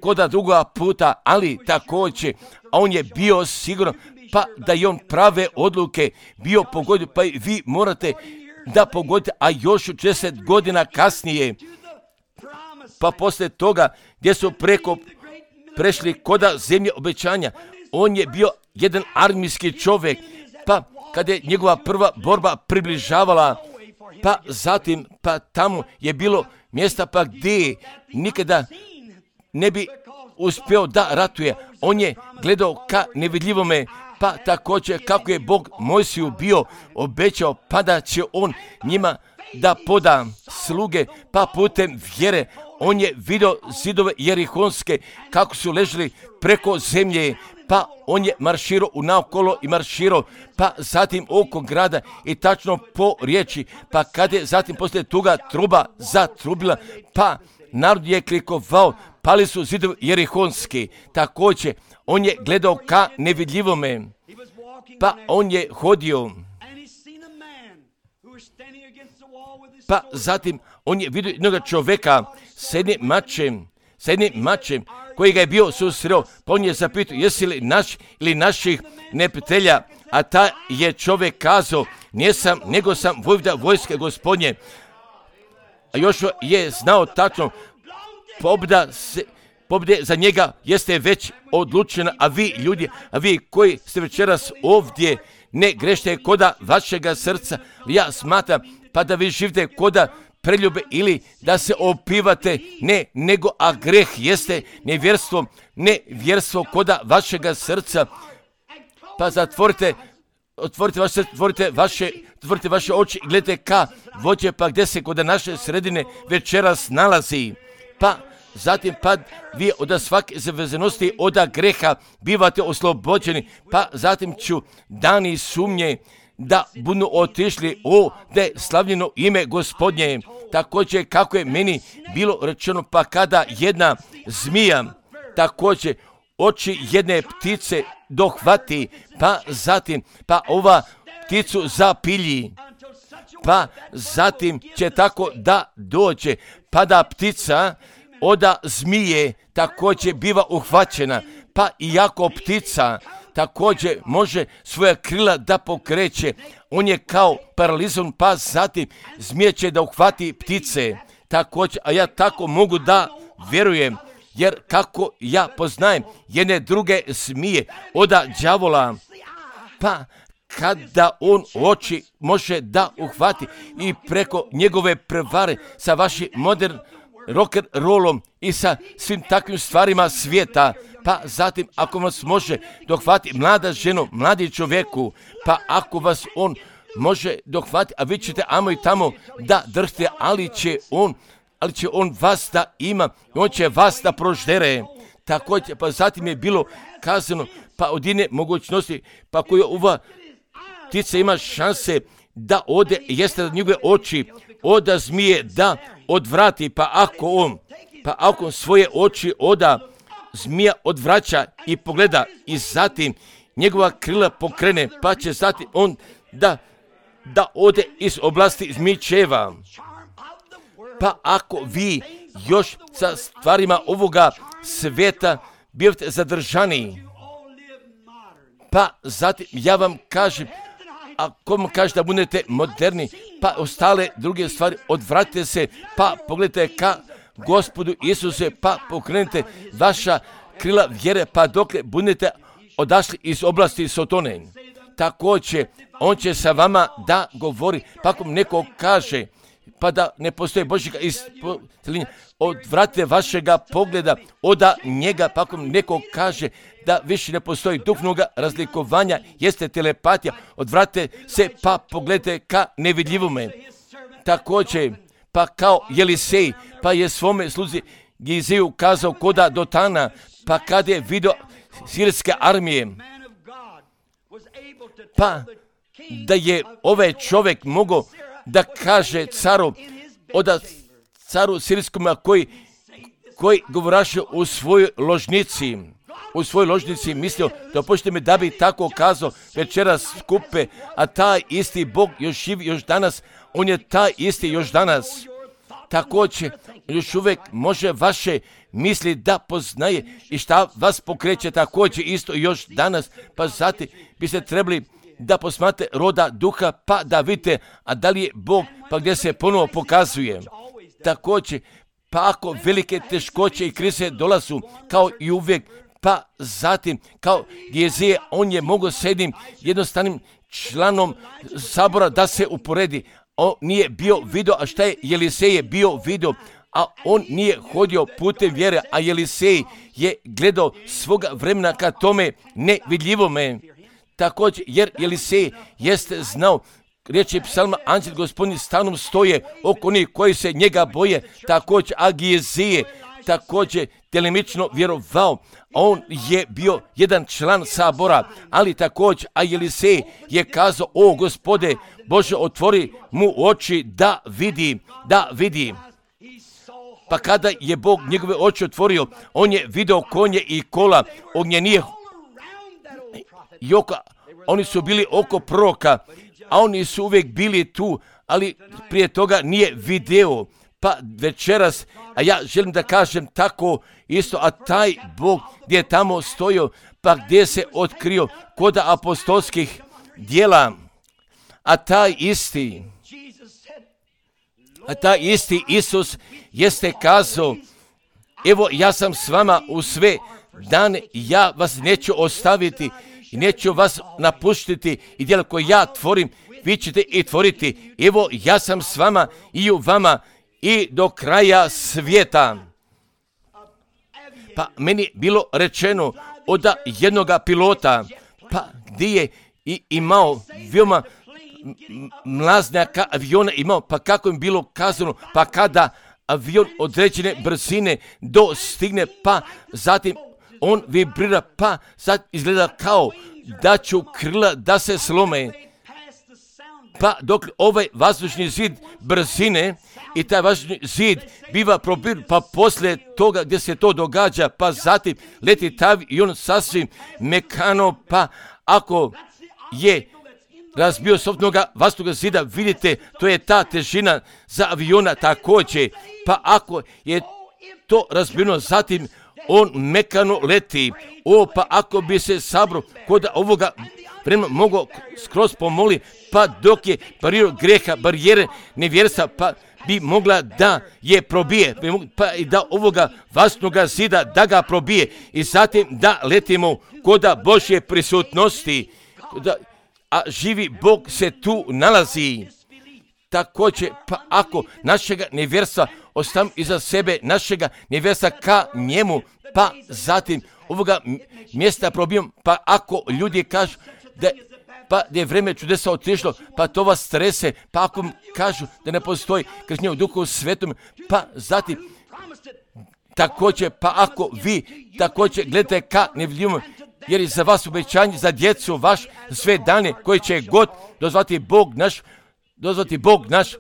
koda druga puta, ali također, a on je bio siguran, pa da je on prave odluke bio pogodio, pa i vi morate da pogodite, a još 10 godina kasnije, pa poslije toga gdje su prešli koda zemlje obećanja, on je bio jedan armijski čovjek, pa kada je njegova prva borba približavala, pa zatim, pa tamo je bilo mjesta pa gdje nikada ne bi uspio da ratuje. On je gledao ka nevidljivome, pa također kako je Bog Mojsiju bio obećao, pa da će on njima da poda sluge, pa putem vjere on je vidio zidove Jerihonske kako su ležali preko zemlje, pa on je marširao unaokolo i marširao, pa zatim oko grada i tačno po riječi, pa kada je zatim poslije toga truba zatrubila, pa narod je klikovao, pali su zidovi Jerihonski. Također, on je gledao ka nevidljivome, pa on je hodio, pa zatim on je vidio jednog čovjeka s jednim mačem koji ga je bio susreo, pa on je zapitao, jesi li naš ili naših neprijatelja, a ta je čovjek kazao, nisam, nego sam vojvoda vojske Gospodnje. A još je znao tačno, pobjeda za njega jeste već odlučena, a vi ljudi, a vi koji ste večeras ovdje, ne grešite koda vašega srca, ja smatram, pa da vi živite koda preljube ili da se opivate, ne, nego a greh jeste nevjerstvo koda vašega srca, pa zatvorite vaše oči i gledajte ka vođe, pa gdje se kod naše sredine večeras nalazi, pa zatim pa vi od svake zavezanosti od greha bivate oslobođeni, pa zatim ću dani sumnje da budu otišli da je slavljeno ime Gospodnje. Također kako je meni bilo rečeno, pa kada jedna zmija također oči jedne ptice dohvati, pa zatim pa ova pticu zapilji, pa zatim će tako da dođe, pa da ptica od zmije također biva uhvaćena, pa iako ptica također može svoja krila da pokreće, on je kao paralizovan, pa zatim zmija će da uhvati ptice također, a ja tako mogu da vjerujem, jer kako ja poznajem jedne druge zmije od đavola, pa kada on oči može da uhvati i preko njegove prevare sa vašim rock'n'rollom i sa svim takvim stvarima svijeta. Pa zatim ako vas može dohvati mlada ženo, mladi čovjeku, pa ako vas on može dohvati, a vi ćete amo i tamo da drhte, ali će on vas da ima, on će vas da proždere. Također, pa zatim je bilo kazano, pa od jedne mogućnosti, pa koju ova ptica ima šanse da ode, jeste da njegove oči oda zmije da odvrati, pa ako on svoje oči oda zmija odvraća i pogleda i zatim njegova krila pokrene, pa će zatim on da ode iz oblasti zmičeva. Pa ako vi još sa stvarima ovoga svijeta bivate zadržani, pa zatim ja vam kažem, ako vam kaže da budete moderni, pa ostale druge stvari odvratite se, pa pogledajte ka Gospodu Isuse, pa pokrenite vaša krila vjere, pa dokle budete odašli iz oblasti Sotone. Također, on će sa vama da govori, pa ako neko kaže, pa da ne postoji Božjega ispostavljenja, odvratite vašega pogleda od njega, pa ako neko kaže da više ne postoji duhovnoga razlikovanja, jeste telepatija, odvratite se, pa pogledajte ka nevidljivome. Također, pa kao Jelisej, pa je svome sluzi Giziju kazao koda Dotana, pa kad je vidio sirske armije, pa da je ovaj čovjek mogao da kaže caru sirijskom koji govoraše u svojoj ložnici, mislio da počnete me da bi tako kazao večeras skupe, a taj isti Bog još živi još danas, on je taj isti još danas. Također, još uvijek može vaše misli da poznaje i šta vas pokreće također isto još danas, pa zatim biste trebali da posmate roda duha, pa da vidite, a da li je Bog, pa gdje se ponovo pokazuje. Također, pa ako velike teškoće i krize dolazu, kao i uvijek, pa zatim, kao Gizija, on je mogao s jednim jednostavnim članom sabora da se uporedi. On nije bio vidio, a šta je Jelisej je bio vidio, a on nije hodio putem vjere, a Jelisej je gledao svoga vremena ka tome nevidljivome. Također, jer Jelisej jeste znao, riječi psalma, anđel gospodin stanom stoje oko onih koji se njega boje, također, a Gizije također delimično vjerovao, on je bio jedan član sabora, ali također, a Jelisej je kazao, o Gospode Bože, otvori mu oči da vidi. Pa kada je Bog njegove oči otvorio, on je vidio konje i kola, ognjenije joka, oni su bili oko proroka, a oni su uvijek bili tu, ali prije toga nije video. Pa večeras, a ja želim da kažem tako isto, a taj Bog gdje je tamo stojio, pa gdje se otkrio kod apostolskih djela, a taj isti Isus jeste kazao, evo ja sam s vama u sve dane, ja vas neću ostaviti i neću vas napuštiti i djela koje ja tvorim, vi ćete i tvoriti. Evo ja sam s vama i u vama i do kraja svijeta. Pa meni bilo rečeno od jednoga pilota, pa gdje je imao veoma mlaznjaka aviona imao, pa kako im bilo kazano, pa kada avion određene brzine dostigne, pa zatim on vibrira, pa sad izgleda kao da će krila da se slome. Pa dok ovaj vazdušni zid brzine i taj vazdušni zid biva probir, pa poslije toga gdje se to događa, pa zatim leti taj i on sasvim mekano, pa ako je razbio sobnoga vazdušnog zida, vidite, to je ta težina za aviona također, pa ako je to razbijeno, zatim on mekano leti. Pa ako bi se sabro kod ovoga vremena mogao skroz pomoli, pa dok je barirao greha, barijere nevjerstva, pa bi mogla da je probije, pa i da ovoga vazdušnoga zida da ga probije i zatim da letimo kod Božje prisutnosti, a živi Bog se tu nalazi. Također, pa ako našega nevjerstva ostavimo iza sebe našega nevjesta ka njemu, pa zatim ovoga mjesta probijom, pa ako ljudi kažu da je vreme čudesa otišlo, pa to vas strese, pa ako kažu da ne postoji krštenje u Duhu Svetom, pa zatim također, pa ako vi također gledate ka nevidljivom, jer je za vas obećanje za djecu vaš sve dane koje će god dozvati Bog naš,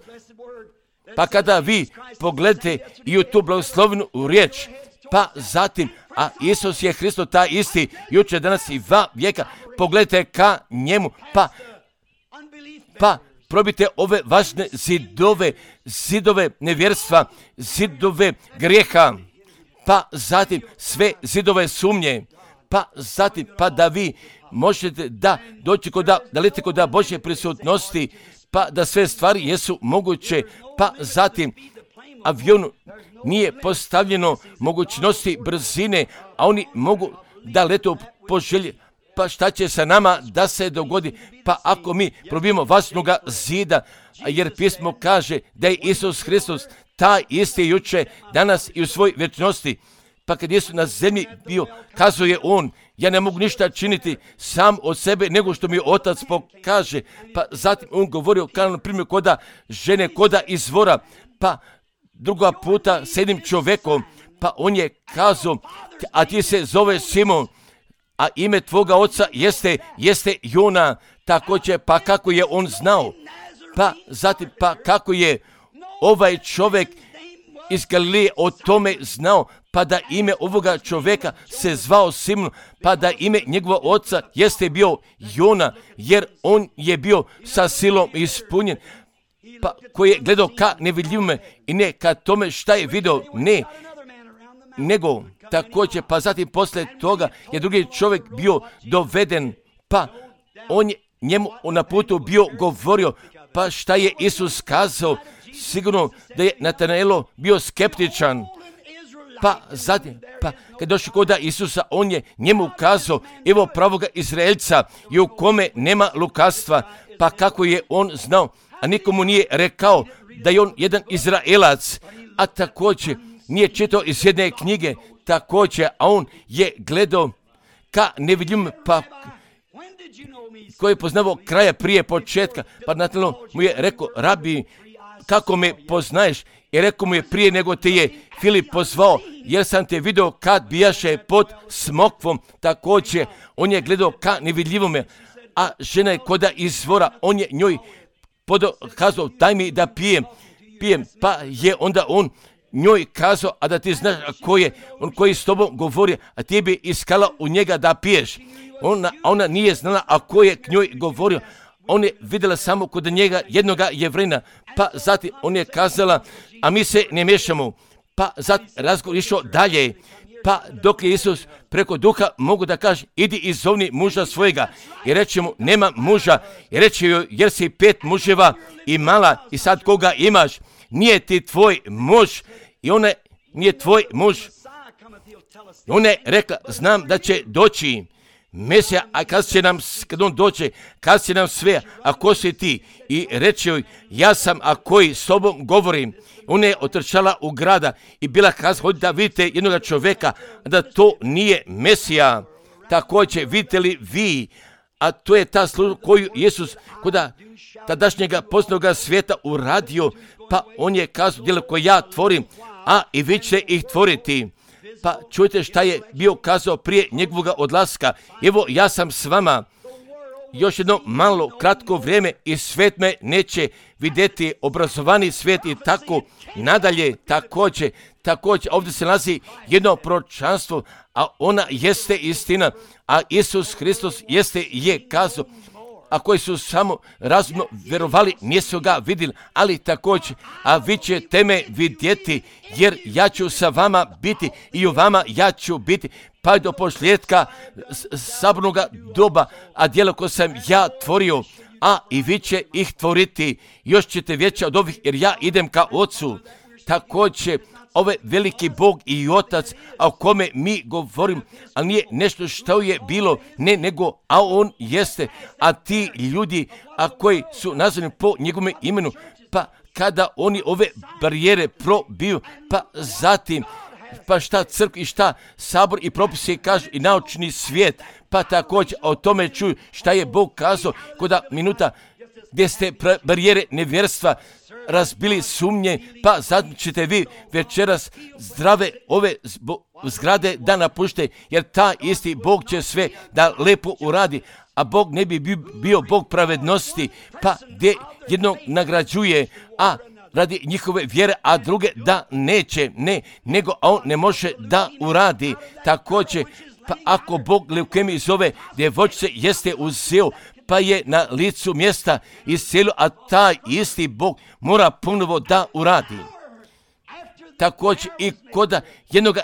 pa kada vi pogledate i u tu blagoslovenu riječ, pa zatim, a Isus je Hristos taj isti, jučer, danas i va vijeka, pogledajte ka njemu, pa probite ove važne zidove nevjerstva, zidove grijeha, pa zatim sve zidove sumnje, pa zatim, pa da vi možete da doći dalete kod Božje prisutnosti, pa da sve stvari jesu moguće, pa zatim avionu nije postavljeno mogućnosti brzine, a oni mogu da letu po želji. Pa šta će sa nama da se dogodi? Pa ako mi probijemo važnoga zida, jer pismo kaže da je Isus Hristos taj isti juče, danas i u svoj vječnosti. Pa kad Isus na zemlji bio, kazuje on, ja ne mogu ništa činiti sam od sebe nego što mi Otac pokaže. Pa zatim on govorio kao na primjer koda žene, koda izvora, pa druga puta s jednim čovjekom, pa on je kazao, a ti se zove Simon, a ime tvoga oca jeste Jona. Također, pa kako je on znao, pa zatim, pa kako je ovaj čovjek iz Galileje o tome znao, pa da ime ovoga čovjeka se zvao Simon, pa da ime njegova oca jeste bio Jona, jer on je bio sa silom ispunjen, pa koji je gledao ka nevidljivome i ne ka tome šta je vidio, ne, nego također, pa zatim poslije toga je drugi čovjek bio doveden, pa on je njemu na putu bio govorio, pa šta je Isus kazao, sigurno da je Natanaelo bio skeptičan, pa zatim, pa kad došli kod Isusa, on je njemu kazao, evo pravoga Izraelca i u kome nema lukavstva, pa kako je on znao, a nikomu nije rekao da je on jedan Izraelac, a također nije čitao iz jedne knjige, također, a on je gledao ka nevidljivim, pa koji je poznavao kraja prije početka, pa Natanael mu je rekao, rabi, kako me poznaješ? I rekao mu je, prije nego te je Filip pozvao, jer sam te vidio kad bijaše pod smokvom. Također, on je gledao ka nevidljivome, a žena je koda izvora, on je njoj kazao, daj mi da pijem, pa je onda on njoj kazao, a da ti znaš ko je on koji s tobom govori, a ti bi iskala u njega da piješ. Ona nije znala, a ko je k njoj govorio. On je vidjela samo kod njega jednoga Jevrina, pa zatim on je kazala, a mi se ne miješamo. Pa zatim razgovor išao dalje, pa dok je Isus preko duha mogu da kaže, idi i zovni muža svojega. I reče mu, nema muža. I reče joj, jer si 5 muževa imala i sad koga imaš? Nije ti tvoj muž. I ona nije tvoj muž. I ona je rekla, znam da će doći Mesija, a kad on dođe, kad će nam sve, a ko si ti? I reče joj, ja sam, a koji s tobom govorim. Ona je otrčala u grada i bila kazala, hodite da vidite jednog čovjeka, da to nije Mesija. Također, vidite li vi, a to je ta služba koju Isus kod tadašnjega poznanog svijeta uradio, pa on je kazao, djelo koje ja tvorim, a i vi ćete ih tvoriti. Pa čujte šta je bio kazao prije njegovog odlaska. Evo, ja sam s vama još jedno malo kratko vrijeme i svijet me neće vidjeti, obrazovani svijet i tako nadalje. Također, ovdje se nalazi jedno proročanstvo, a ona jeste istina, a Isus Hristos je kazao, a koji su samo razumno vjerovali, nisu ga vidjeli, ali također, a vi ćete me vidjeti, jer ja ću sa vama biti i u vama ja ću biti, pa do posljedka sabornoga doba, a djelo koje sam ja tvorio, a i vi će ih tvoriti, još ćete veće od ovih, jer ja idem ka Ocu. Također, ovaj veliki Bog i Otac, a o kome mi govorim, ali nije nešto što je bilo, ne, nego, a on jeste, a ti ljudi, a koji su nazvani po njegovom imenu, pa kada oni ove barijere probiju, pa zatim, pa šta crkva i šta sabor i propisi kažu i naučni svijet, pa također o tome čuju šta je Bog kazao koda minuta gdje ste barijere nevjerstva razbili sumnje, pa zatim ćete vi večeras zdrave ove zgrade da napušte, jer ta isti Bog će sve da lepo uradi, a Bog ne bi bio Bog pravednosti, pa gdje jednog nagrađuje, a radi njihove vjere, a druge da neće, nego on ne može da uradi. Također, pa ako Bog leukemiju zove djevojčice jeste uzeo, pa je na licu mjesta iscijelio, a taj isti Bog mora ponovo da uradi. Također i koda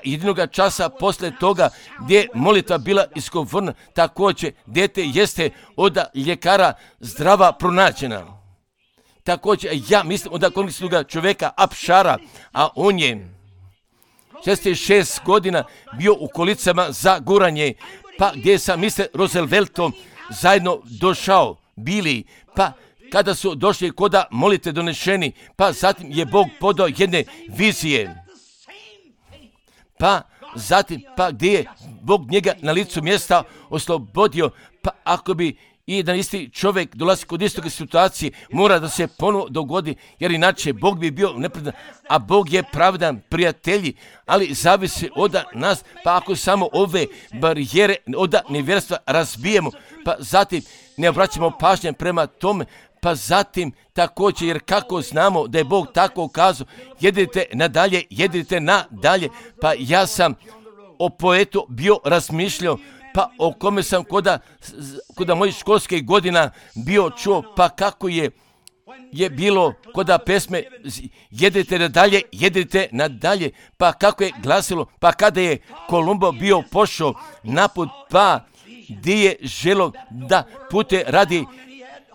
jedinoga časa posle toga gdje je molitva bila izgovorena, također dijete jeste od ljekara zdrava pronađena. Također ja mislim od konkretnog čovjeka Apšara, a on je 66 godina bio u kolicama za guranje, pa gdje sam Mr. Rooseveltom zajedno došao bili, pa kada su došli koda molite donešeni, pa zatim je Bog podao jedne vizije, pa zatim, pa gdje je Bog njega na licu mjesta oslobodio, pa ako bi i jedan isti čovjek dolazi kod istoga situacije, mora da se ponovo dogodi, jer inače Bog bi bio nepravedan, a Bog je pravedan, prijatelji, ali zavisi od nas, pa ako samo ove barijere od nevjerstva razbijemo, pa zatim ne obraćamo pažnje prema tome, pa zatim također, jer kako znamo da je Bog tako kazao, jedite nadalje, pa ja sam o poetu bio razmišljao, pa o kome sam koda mojih školskih godina bio čuo, pa kako je bilo koda pesme jedite nadalje, pa kako je glasilo, pa kada je Kolumbo bio pošao naput, pa gdje je želo da pute radi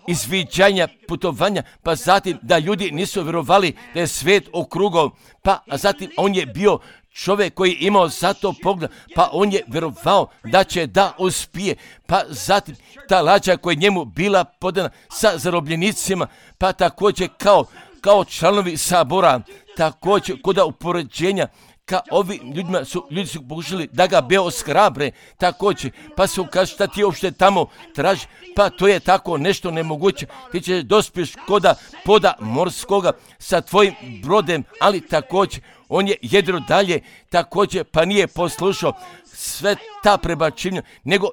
izviđanja putovanja, pa zatim da ljudi nisu vjerovali da je svijet okrugao, pa zatim on je bio čovjek koji je imao zato pogled, pa on je vjerovao da će da uspije, pa zatim ta lađa koja je njemu bila podana sa zarobljenicima, pa također kao članovi sabora, također koda upoređenja, ka ovi ljudi su pokušali da ga ohrabre, također, pa su kažu šta ti uopšte tamo traži, pa to je tako nešto nemoguće, ti ćeš dospješ koda poda morskoga sa tvojim brodem, ali također on je jedro dalje, također pa nije poslušao sve ta prebačenja, nego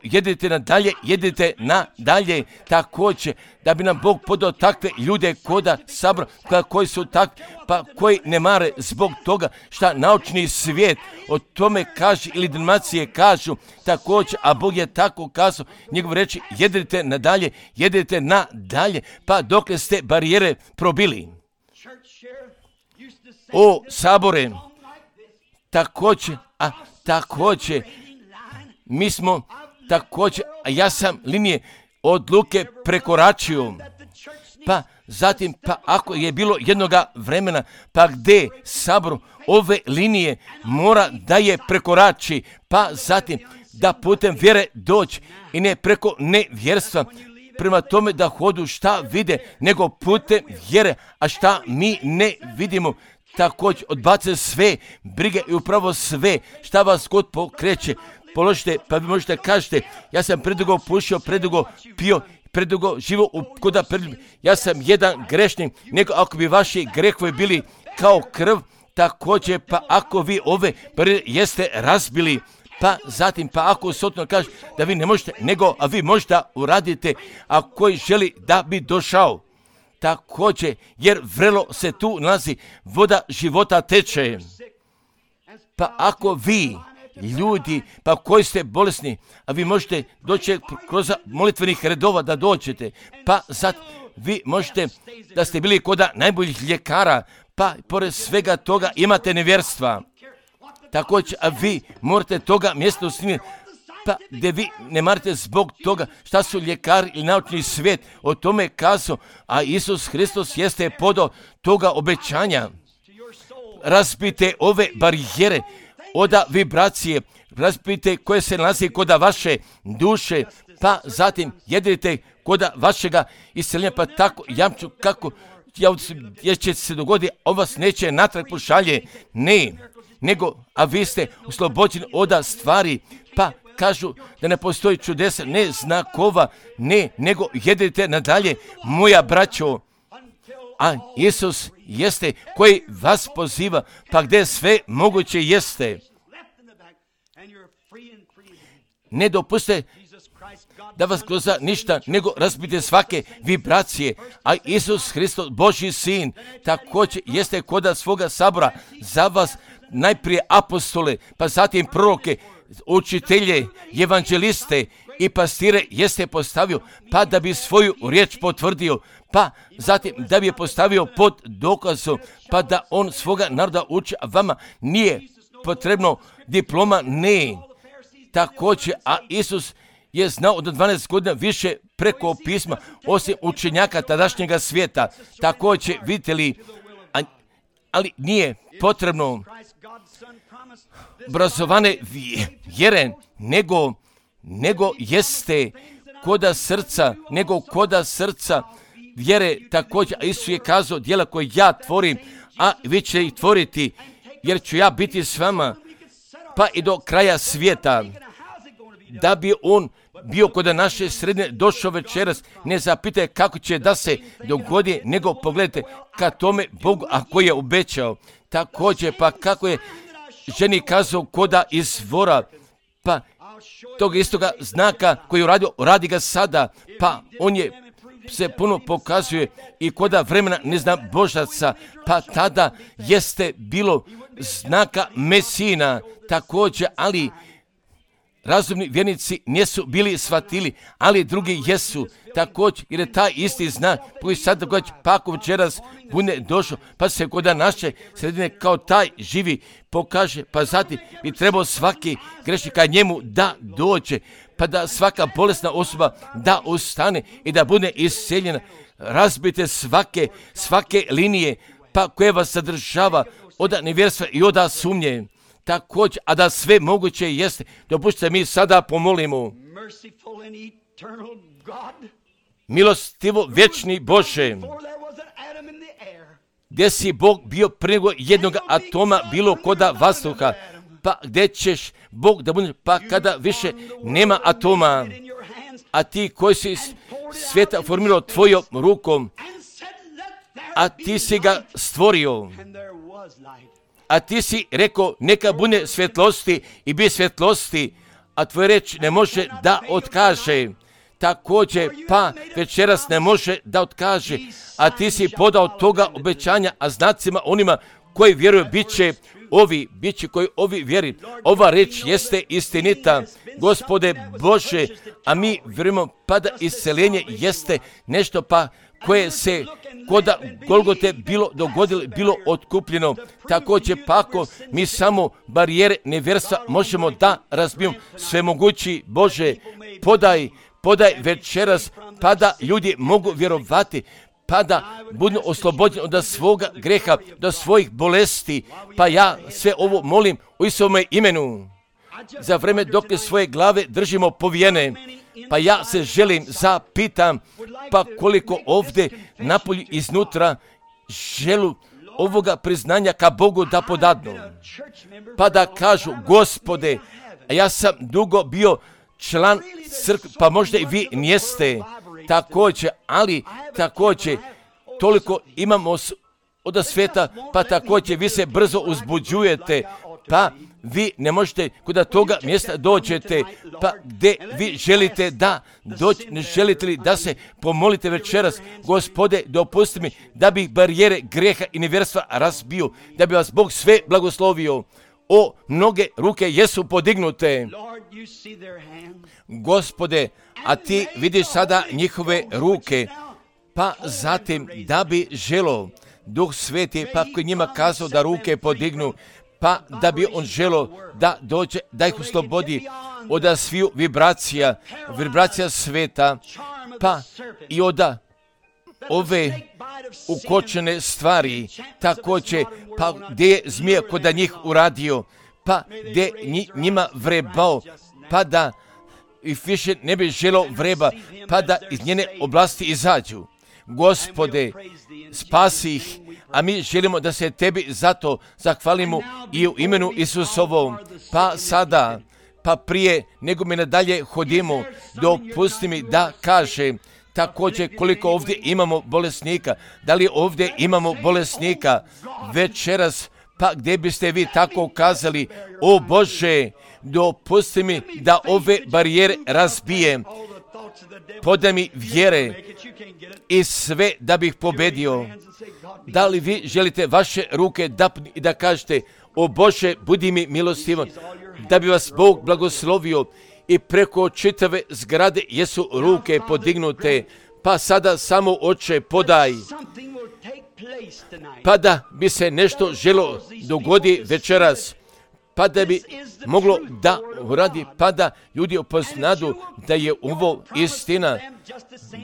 jedite nadalje, također da bi nam Bog podao takve ljude koda sabra, koji su takvi, pa koji ne mare zbog toga šta naučni svijet o tome kaže ili denominacije kažu, također, a Bog je tako kazao, njegov reči jedite nadalje, pa dokle ste barijere probili. O sabore, također, mi smo također, a ja sam linije odluke prekoračio, pa zatim, pa ako je bilo jednoga vremena, pa gdje sabor ove linije mora da je prekorači, pa zatim da putem vjere doći i ne preko nevjerstva, prema tome da hodu šta vide, nego putem vjere, a šta mi ne vidimo, također odbace sve brige i upravo sve šta vas god pokreće, položite, pa vi možete kažete, ja sam predugo pušio, predugo pio, predugo živo koda ja sam jedan grešnik, nego ako bi vaši grehovi bili kao krv, također, pa ako vi ove jeste razbili, pa zatim, pa ako sotno kaže da vi ne možete, nego a vi možete uradite, a koji želi da bi došao. Također, jer vrelo se tu nalazi, voda života teče. Pa ako vi, ljudi, pa koji ste bolesni, a vi možete doći kroz molitvenih redova da dođete, pa sad vi možete da ste bili koda najboljih ljekara, pa pored svega toga imate nevjerstva. Također, a vi morate toga mjesta usnimiti, pa gdje vi ne marate zbog toga šta su ljekari ili naučni svijet o tome kazao, a Isus Hristos jeste podao toga obećanja. Razbite ove barijere od vibracije, razbite koje se nalazi koda vaše duše, pa zatim jedite koda vašega isceljenja, pa tako jamču kako jer će se dogoditi, on vas neće natrag pošalje. Ne, nego, a vi ste oslobođeni od stvari, pa kažu da ne postoji čudesa, ne znakova, ne, nego jedite nadalje, moja braćo. A Isus jeste koji vas poziva, pa gdje sve moguće jeste. Ne dopuste da vas groza ništa, nego razbite svake vibracije. A Isus Hristos, Božji sin, također jeste koda svoga sabora za vas najprije apostole, pa zatim proroke, učitelje, evanđeliste i pastire jeste postavio, pa da bi svoju riječ potvrdio, pa zatim da bi je postavio pod dokazom, pa da on svoga naroda uči, a vama nije potrebno diploma, ne. Također, a Isus je znao od 12 godina više preko pisma, osim učenjaka tadašnjega svijeta. Također, vidite li, ali nije potrebno obrazovane vjere, nego jeste koda srca vjere također. A Isus je kazao, djela koje ja tvorim, a vi ćete ih tvoriti, jer ću ja biti s vama, pa i do kraja svijeta. Da bi on bio kod naše sredine došao večeras, ne zapitaj kako će da se dogodi, nego pogledajte ka tome Bogu, a koji je obećao. Također, pa kako je ženi kazao koda izvora, pa tog istoga znaka koji je uradio, radi ga sada, pa on je se puno pokazuje i koda vremena ne zna Božaca, pa tada jeste bilo znaka Mesina također, ali razumni vjernici nisu bili shvatili, ali drugi jesu također, jer je taj isti znak koji sad događa, pa ako večeras bude došao, pa se kod naše sredine kao taj živi pokaže, pa zatim bi trebao svaki grešnik ka njemu da dođe, pa da svaka bolesna osoba da ustane i da bude isceljena. Razbite svake linije, pa koje vas sadržava od nevjerstva i od sumnje. Također, a da sve moguće jeste, dopustite mi sada pomolimo. Milostivo vječni Bože, gdje si Bog bio prije jednog atoma bilo koda vazduha, pa gdje ćeš Bog da bude, pa kada više nema atoma, a ti koji si svijeta formirao tvojom rukom, a ti si ga stvorio, a ti si rekao neka bude svjetlosti i bi svjetlosti, a tvoja reč ne može da otkaže. Također, pa večeras ne može da otkaže, a ti si podao toga obećanja, a znacima onima koji vjeruju bit će koji ovi vjeri. Ova reč jeste istinita, Gospode Bože, a mi vjerujemo pa da isceljenje jeste nešto pa koje se koda Golgote bilo dogodilo, bilo otkupljeno. Također, pa ako mi samo barijere nevjerstva možemo da razbijemo, svemogući Bože, podaj večeras, pa da ljudi mogu vjerovati, pa da budu oslobođeni od svoga greha, do svojih bolesti, pa ja sve ovo molim u Isovome imenu. Za vreme dok svoje glave držimo povijene, pa ja se želim zapitam, pa koliko ovdje napolju iznutra želu ovoga priznanja ka Bogu da podadnu, pa da kažu, Gospode, ja sam dugo bio član crkve, pa možda i vi nijeste također, ali također toliko imamo od svijeta, pa također vi se brzo uzbuđujete, pa vi ne možete kod toga mjesta dođete, pa gdje vi želite da doći, ne želite li da se pomolite večeras, Gospode, dopusti mi da bi barijere greha i nevjerstva razbio, da bi vas Bog sve blagoslovio. O, mnoge ruke jesu podignute. Gospode, a ti vidiš sada njihove ruke, pa zatim da bi želo Duh Sveti, pa koji njima kazao da ruke podignu, pa da bi on želo da dođe, da ih oslobodi od sviju vibracija sveta, pa i od ove ukočene stvari, također, pa gdje je zmija kod njih uradio, pa gdje njima vrebao, pa da i više ne bi želo vreba, pa da iz njene oblasti izađu. Gospode, spasi ih, a mi želimo da se Tebi zato zahvalimo i u imenu Isusovom. Pa sada, pa prije nego mi nadalje hodimo, dopusti mi da kažem također koliko ovdje imamo bolesnika. Da li ovdje imamo bolesnika večeras? Pa gdje biste vi tako kazali, o Bože, dopusti mi da ove barijere razbijem, podaj mi vjere i sve da bih pobedio. Da li vi želite vaše ruke i da kažete, o Bože, budi mi milostivan, da bi vas Bog blagoslovio i preko čitave zgrade jesu ruke podignute, pa sada samo Oče podaj, pa da bi se nešto želo dogodi večeras, pa da bi moglo da uradi, pa da ljudi upoznadu da je ovo istina,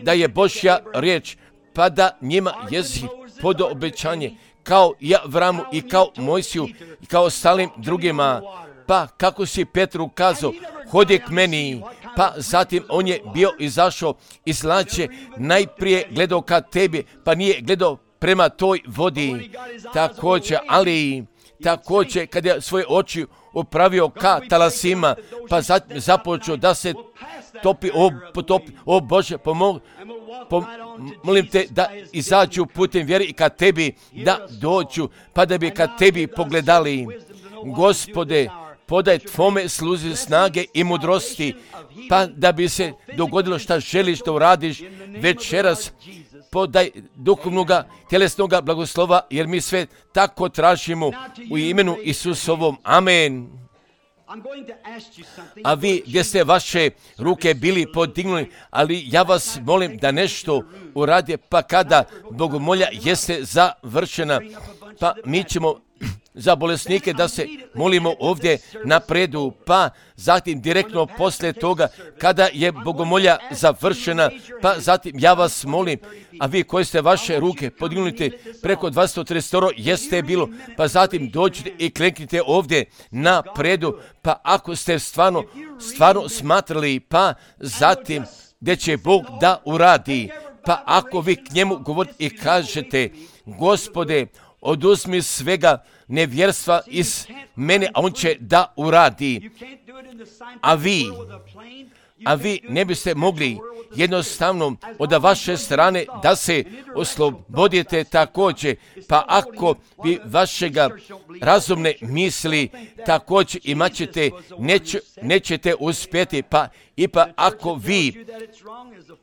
da je Božja riječ, pa da njima jezi pod obećanje, kao i Avramu i kao Mojsiju i kao ostalim drugima. Pa kako si Petru kazao, hodi k meni, pa zatim on je bio izašao iz lađe, najprije gledao ka tebi, pa nije gledao prema toj vodi. Također kad je svoje oči upravio ka talasima, pa započeo da se topi, o Bože, molim te da izađu putem vjere i ka tebi da dođu, pa da bi ka tebi pogledali. Gospode, podaj tvome sluzi snage i mudrosti, pa da bi se dogodilo šta želiš da uradiš večeras. Podaj duhovnoga, tjelesnoga blagoslova, jer mi sve tako tražimo u imenu Isusovom. Amen. A vi gdje ste vaše ruke bili podignuli, ali ja vas molim da nešto uradi, pa kada bogomolja jeste završena, pa mi ćemo za bolesnike da se molimo ovdje napredu, pa zatim direktno poslije toga kada je bogomolja završena, pa zatim ja vas molim, a vi koji ste vaše ruke podignuli preko 230 jeste bilo, pa zatim dođite i kleknite ovdje napredu, pa ako ste stvarno smatrali, pa zatim gdje će Bog da uradi, pa ako vi k njemu govorite i kažete, Gospode, oduzmi svega nevjerstva iz mene, a on će da uradi. A vi ne biste mogli jednostavno od vaše strane da se oslobodite također, pa ako vi vašega razumne misli također imat ćete, nećete uspjeti, pa ipak ako vi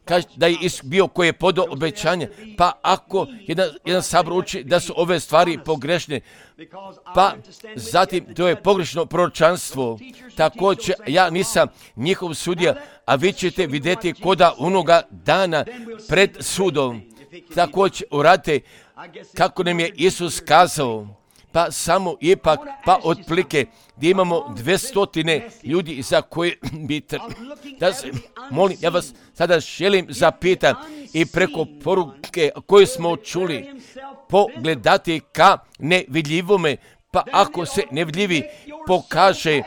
kažete da je bio koji je podao obećanje, pa ako jedan sabor uči da su ove stvari pogrešne, pa zatim to je pogrešno proročanstvo. Također ja nisam njihov sudija, a vi ćete vidjeti koda onoga dana pred sudom. Također uradite kako nam je Isus kazao, pa samo ipak, pa otplike gdje imamo 200 ljudi za koje bi da se molim, ja vas sada želim zapitati i preko poruke koju smo čuli pogledati ka nevidljivome, pa ako se nevidljivi pokaže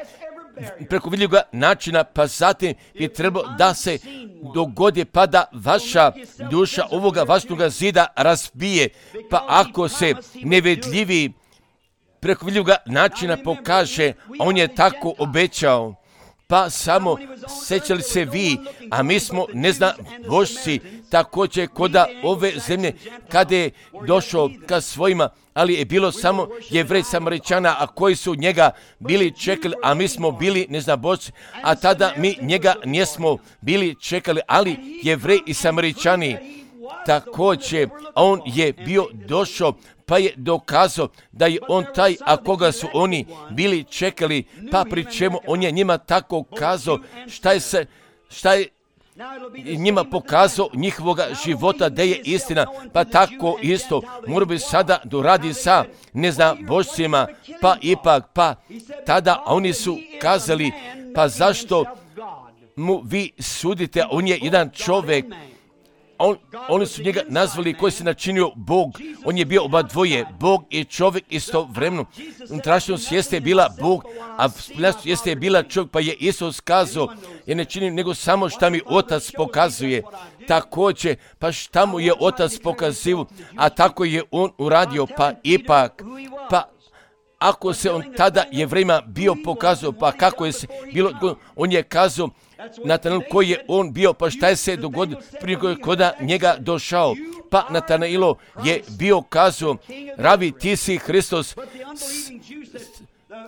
preko vidljivoga načina, pa zatim je trebalo da se dogodi, pa da vaša duša ovoga vašnoga zida razbije, pa ako se nevidljivi preko vidljivoga načina pokaže, on je tako obećao. Pa samo sjećali se vi, a mi smo božci također koda ove zemlje kada je došao ka svojima, ali je bilo samo Jevrej Samaričana, a koji su njega bili čekali, a mi smo bili božci, a tada mi njega nismo bili čekali, ali Jevrej i Samaričani također, on je bio došao, pa je dokazao da je on taj, a koga su oni bili čekali, pa pri čemu on je njima tako kazao šta je njima pokazao njihovoga života da je istina, pa tako isto mora bi sada doradi sa božcima, pa ipak, pa tada oni su kazali, pa zašto mu vi sudite, on je jedan čovjek, oni su njega nazvali koji se načinio Bog. On je bio oba dvoje, Bog i čovjek istovremeno. Unutrašnjost jeste bila Bog, a spoljašnjost jeste bila čovjek, pa je Isus kazao, ja ne činim nego samo šta mi Otac pokazuje. Također, pa šta mu je Otac pokazivao, a tako je on uradio, pa ipak, ako se on tada Jevrejima bio pokazao, pa kako je se bilo, on je kazao Natanaelu koji je on bio, pa šta je se dogodilo prije koda njega došao. Pa Natanaelo je bio kazao, Rabi, ti si Hristos,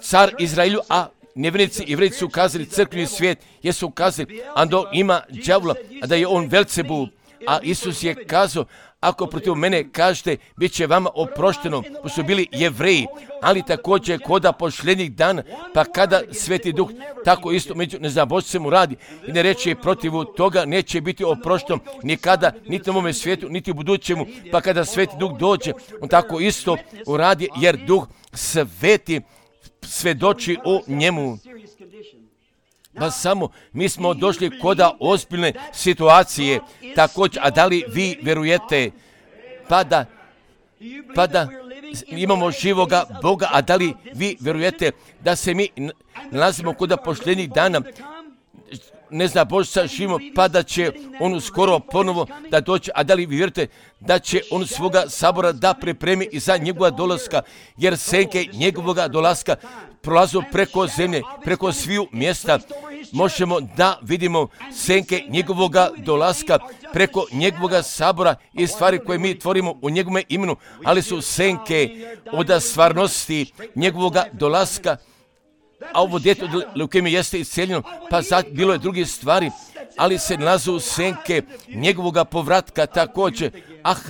car Izraelju, a nevjernici i Jevreji su kazali, crkveni svijet jesu kazali, ando ima đavola, a da je on Velcebul. A Isus je kazao, ako protiv mene kažete, bit će vama oprošteno, pa su bili Jevreji, ali također koda posljednjih dana, pa kada Sveti Duh tako isto među neznabošcem uradi i ne reče protivu toga, neće biti oprošteno nikada, niti u ovome svijetu, niti u budućemu, pa kada Sveti Duh dođe, on tako isto uradi, jer Duh Sveti svedoči o njemu. Pa samo mi smo došli koda ozbiljne situacije, također, a da li vi vjerujete, pa da imamo živoga Boga, a da li vi vjerujete da se mi nalazimo koda posljednjih dana, ne zna Božica živimo, pa da će on skoro ponovo da dođe, a da li vi vjerujete da će on svoga sabora da pripremi i za njegova dolaska, jer senke njegovoga dolaska prolazu preko zemlje, preko sviju mjesta. Možemo da vidimo senke njegovoga dolaska preko njegovoga sabora i stvari koje mi tvorimo u njegovome imenu, ali su senke od stvarnosti njegovoga dolaska. A ovo djete od leukemije jeste isceljeno, pa bilo je drugi stvari, ali se nalazu senke njegovoga povratka također.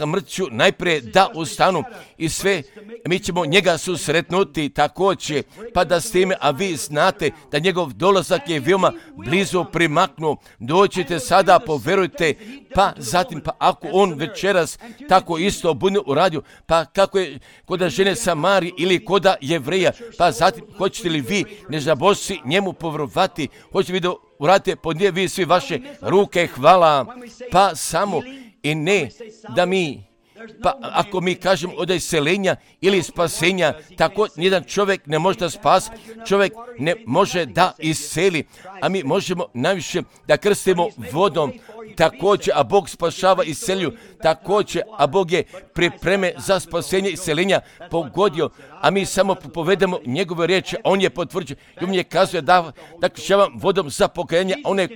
Mrtću najprije da ustanu i sve, mi ćemo njega susretnuti također, pa da s time, a vi znate da njegov dolazak je veoma blizu primaknuo. Dođite sada, poverujte, pa zatim, pa ako on večeras tako isto bude uradio, pa kako je koda žene Samari ili koda Jevreja, pa zatim, hoćete li vi, neznabošci, njemu povjerovati, hoćete vi da uradite pod nje vi svi vaše ruke, hvala, pa samo i ne da mi, pa ako mi kažemo od iseljenja ili spasenja, tako nijedan čovjek ne može da spasi, čovjek ne može da iseli, a mi možemo najviše da krstimo vodom, također, a Bog spašava i selju, također, a Bog je pripreme za spasenje i seljenja pogodio, a mi samo povedemo njegove riječi, a on je potvrđen i on je kazuje da kršćavam vodom za pokajanje, a one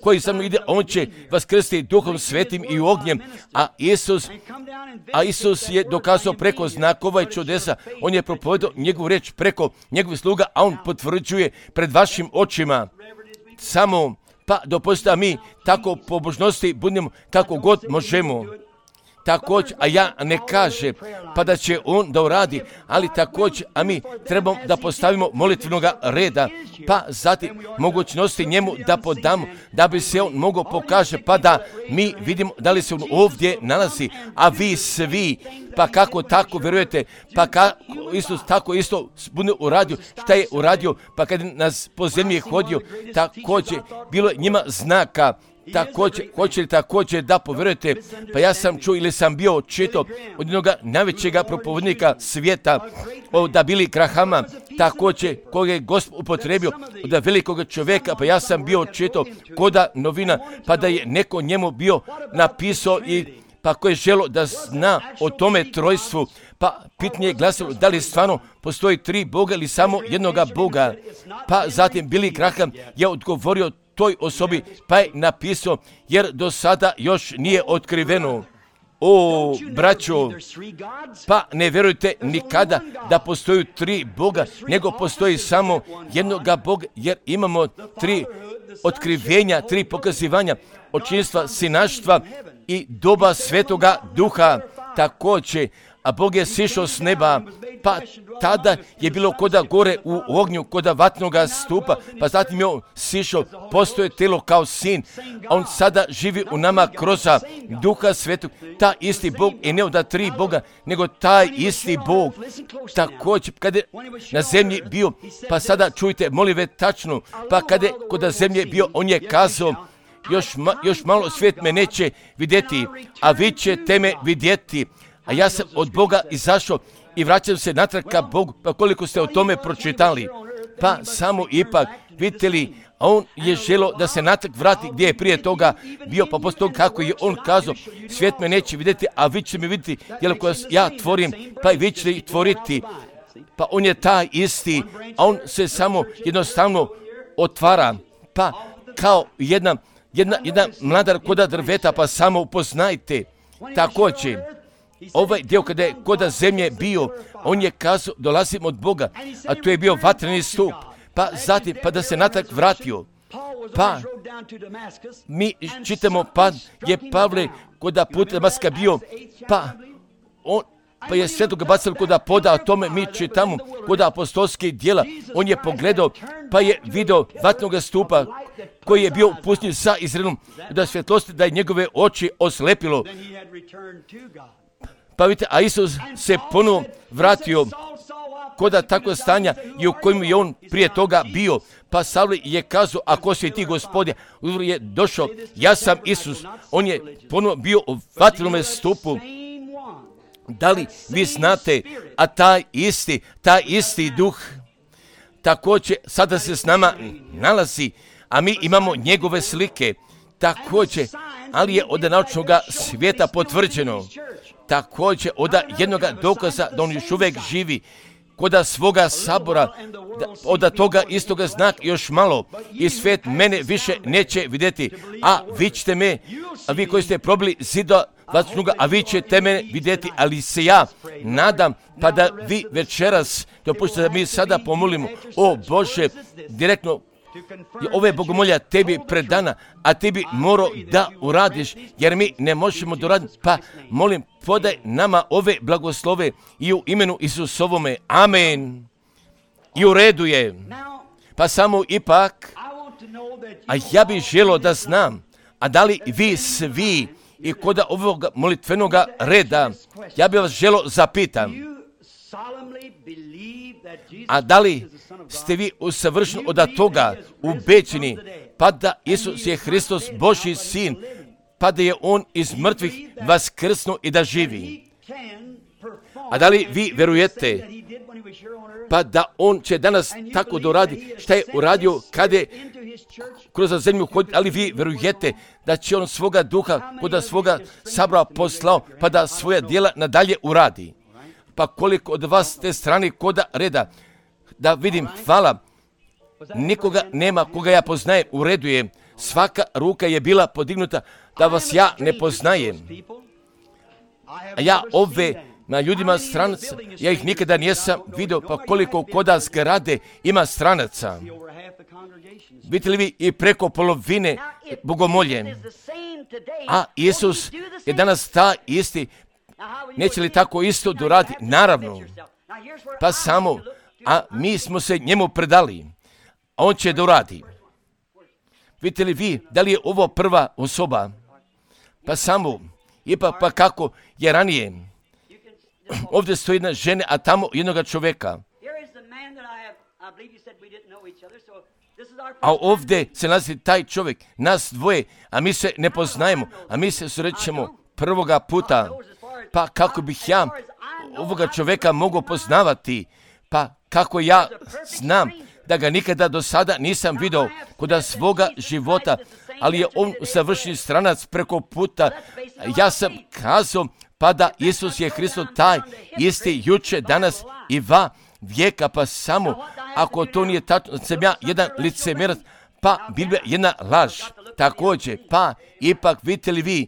koji za mnom ide, on će vas krstiti Duhom Svetim i ognjem, a Isus je dokazao preko znakova i čudesa, on je propovedao njegovu riječ preko njegovih sluga, a on potvrđuje pred vašim očima. Samo pa dopustite da mi tako pobožnosti budemo kako god možemo. Također, a ja ne kaže, pa da će on da uradi, ali također, a mi trebamo da postavimo molitvenog reda, pa zatim mogućnosti njemu da podamo, da bi se on mogao pokaže, pa da mi vidimo da li se on ovdje nalazi, a vi svi, pa kako tako vjerujete, pa kako Isus tako isto bude uradio, šta je uradio, pa kad nas po zemlji hodio, također, bilo je njima znaka. Također, hoće li također da povjerujete, pa ja sam čuo ili sam bio čitao od jednog najvećega propovednika svijeta, od Billy Grahama, također koga je Gospod upotrebio od velikog čovjeka, pa ja sam bio čitao koda novina, pa da je neko njemu bio napisao i pa ko je želo da zna o tome trojstvu, pa pitanje je glasilo da li stvarno postoji 3 Boga ili samo jednoga Boga, pa zatim Billy Graham je odgovorio toj osobi, pa je napisao, jer do sada još nije otkriveno. O, braćo, pa ne vjerujte nikada da postoji 3 Boga, nego postoji samo jednoga Boga, jer imamo 3 otkrivenja, 3 pokazivanja, očinstva, sinaštva i doba Svetoga Duha također, a Bog je sišao s neba, pa tada je bilo koda gore u ognju, koda vatnoga stupa, pa zatim je on sišao, postoje telo kao sin, a on sada živi u nama kroz Duha Svetog, ta isti Bog i ne od 3 Boga, nego taj isti Bog. Također, kada je na zemlji bio, pa sada čujte, molim ve tačno, pa kada je kod zemlje bio, on je kazao, još malo svijet me neće vidjeti, a vi ćete me vidjeti. A ja sam od Boga izašao i vraćam se natrag ka Bogu, pa koliko ste o tome pročitali. Pa samo ipak, vidite li, on je želio da se natrag vrati gdje je prije toga bio, pa poslije toga kako je on kazao, svijet me neće vidjeti, a vi ćete me vidjeti, jer ako ja tvorim, pa i vi ćete ih tvoriti. Pa on je taj isti, a on se samo jednostavno otvara, pa kao jedna mladar koda drveta, pa samo upoznajte. Također, ovaj dio kada je koda zemlje bio, on je kazao, dolazim od Boga, a to je bio vatreni stup, pa zatim, pa da se natrag vratio. Pa, mi čitamo, pa je Pavle koda put Damaska bio, pa je svetoga bacilo koda poda, o tome mi čitamo koda apostolskih djela. On je pogledao, pa je video vatnog stupa koji je bio pustinjen sa Izraelom, da svjetlosti, da je njegove oči oslepilo. Pa vidite, a Isus se ponovo vratio koda takvo stanja i u kojem je on prije toga bio. Pa Savle je kazao, ako si ti Gospodin, je došao, ja sam Isus. On je ponovo bio u vatrenome stupu. Da li vi znate, a taj isti duh također sada se s nama nalazi, a mi imamo njegove slike također, ali je od naučnog svijeta potvrđeno. Također od jednoga dokaza da on još uvijek živi koda svoga sabora, od toga istoga znak još malo i svijet mene više neće vidjeti, a vi ćete me, a vi koji ste probili zida vatnoga, a vi ćete me vidjeti, ali se ja nadam, pa da vi večeras, dopustite da mi sada pomolimo, o Bože, direktno, ove bogomolja tebi predana, a ti bi morao da uradiš, jer mi ne možemo doraditi, pa molim, podaj nama ove blagoslove i u imenu Isusovome, amen. I u redu je, pa samo ipak, a ja bih želio da znam, a da li vi svi i kod ovog molitvenog reda, ja bih vas želio zapitam, a da li ste vi usavršeni od toga ubeđeni, pa da Isus je Hristos Božji sin, pa da je on iz mrtvih vaskrsnuo i da živi? A da li vi vjerujete, pa da on će danas tako doradi šta je uradio kada je kroz zemlju hoditi, ali vi vjerujete da će on svoga duha kod svoga sabora poslao, pa da svoja djela nadalje uradi? Pa koliko od vas te strane koda reda, da vidim, hvala, nikoga nema koga ja poznajem, u redu je, svaka ruka je bila podignuta da vas ja ne poznajem. A ja ove na ljudima stranaca, ja ih nikada nisam vidio, pa koliko koda zgrade ima stranaca. Vidite li vi i preko polovine bogomolje? A Isus je danas ta isti, neće li tako isto doradi? Naravno. Pa samo, a mi smo se njemu predali, a on će doradi. Vidite li vi, da li je ovo prva osoba? Pa samo, ipak pa kako je ranije. Ovdje stoji jedna žena, a tamo jednoga čovjeka. A ovdje se nalazi taj čovjek, nas dvoje, a mi se ne poznajemo, a mi se srećemo prvoga puta. Pa kako bih ja ovoga čovjeka mogao poznavati? Pa kako ja znam da ga nikada do sada nisam vidio kod svoga života, ali je on savršeni stranac preko puta. Ja sam kazao, pa da Isus je Hristos taj isti juče, danas i va vijeka, pa samo ako to nije tačno, sam ja jedan licemjerac, pa Biblija jedna laž. Također, pa ipak vidite li vi,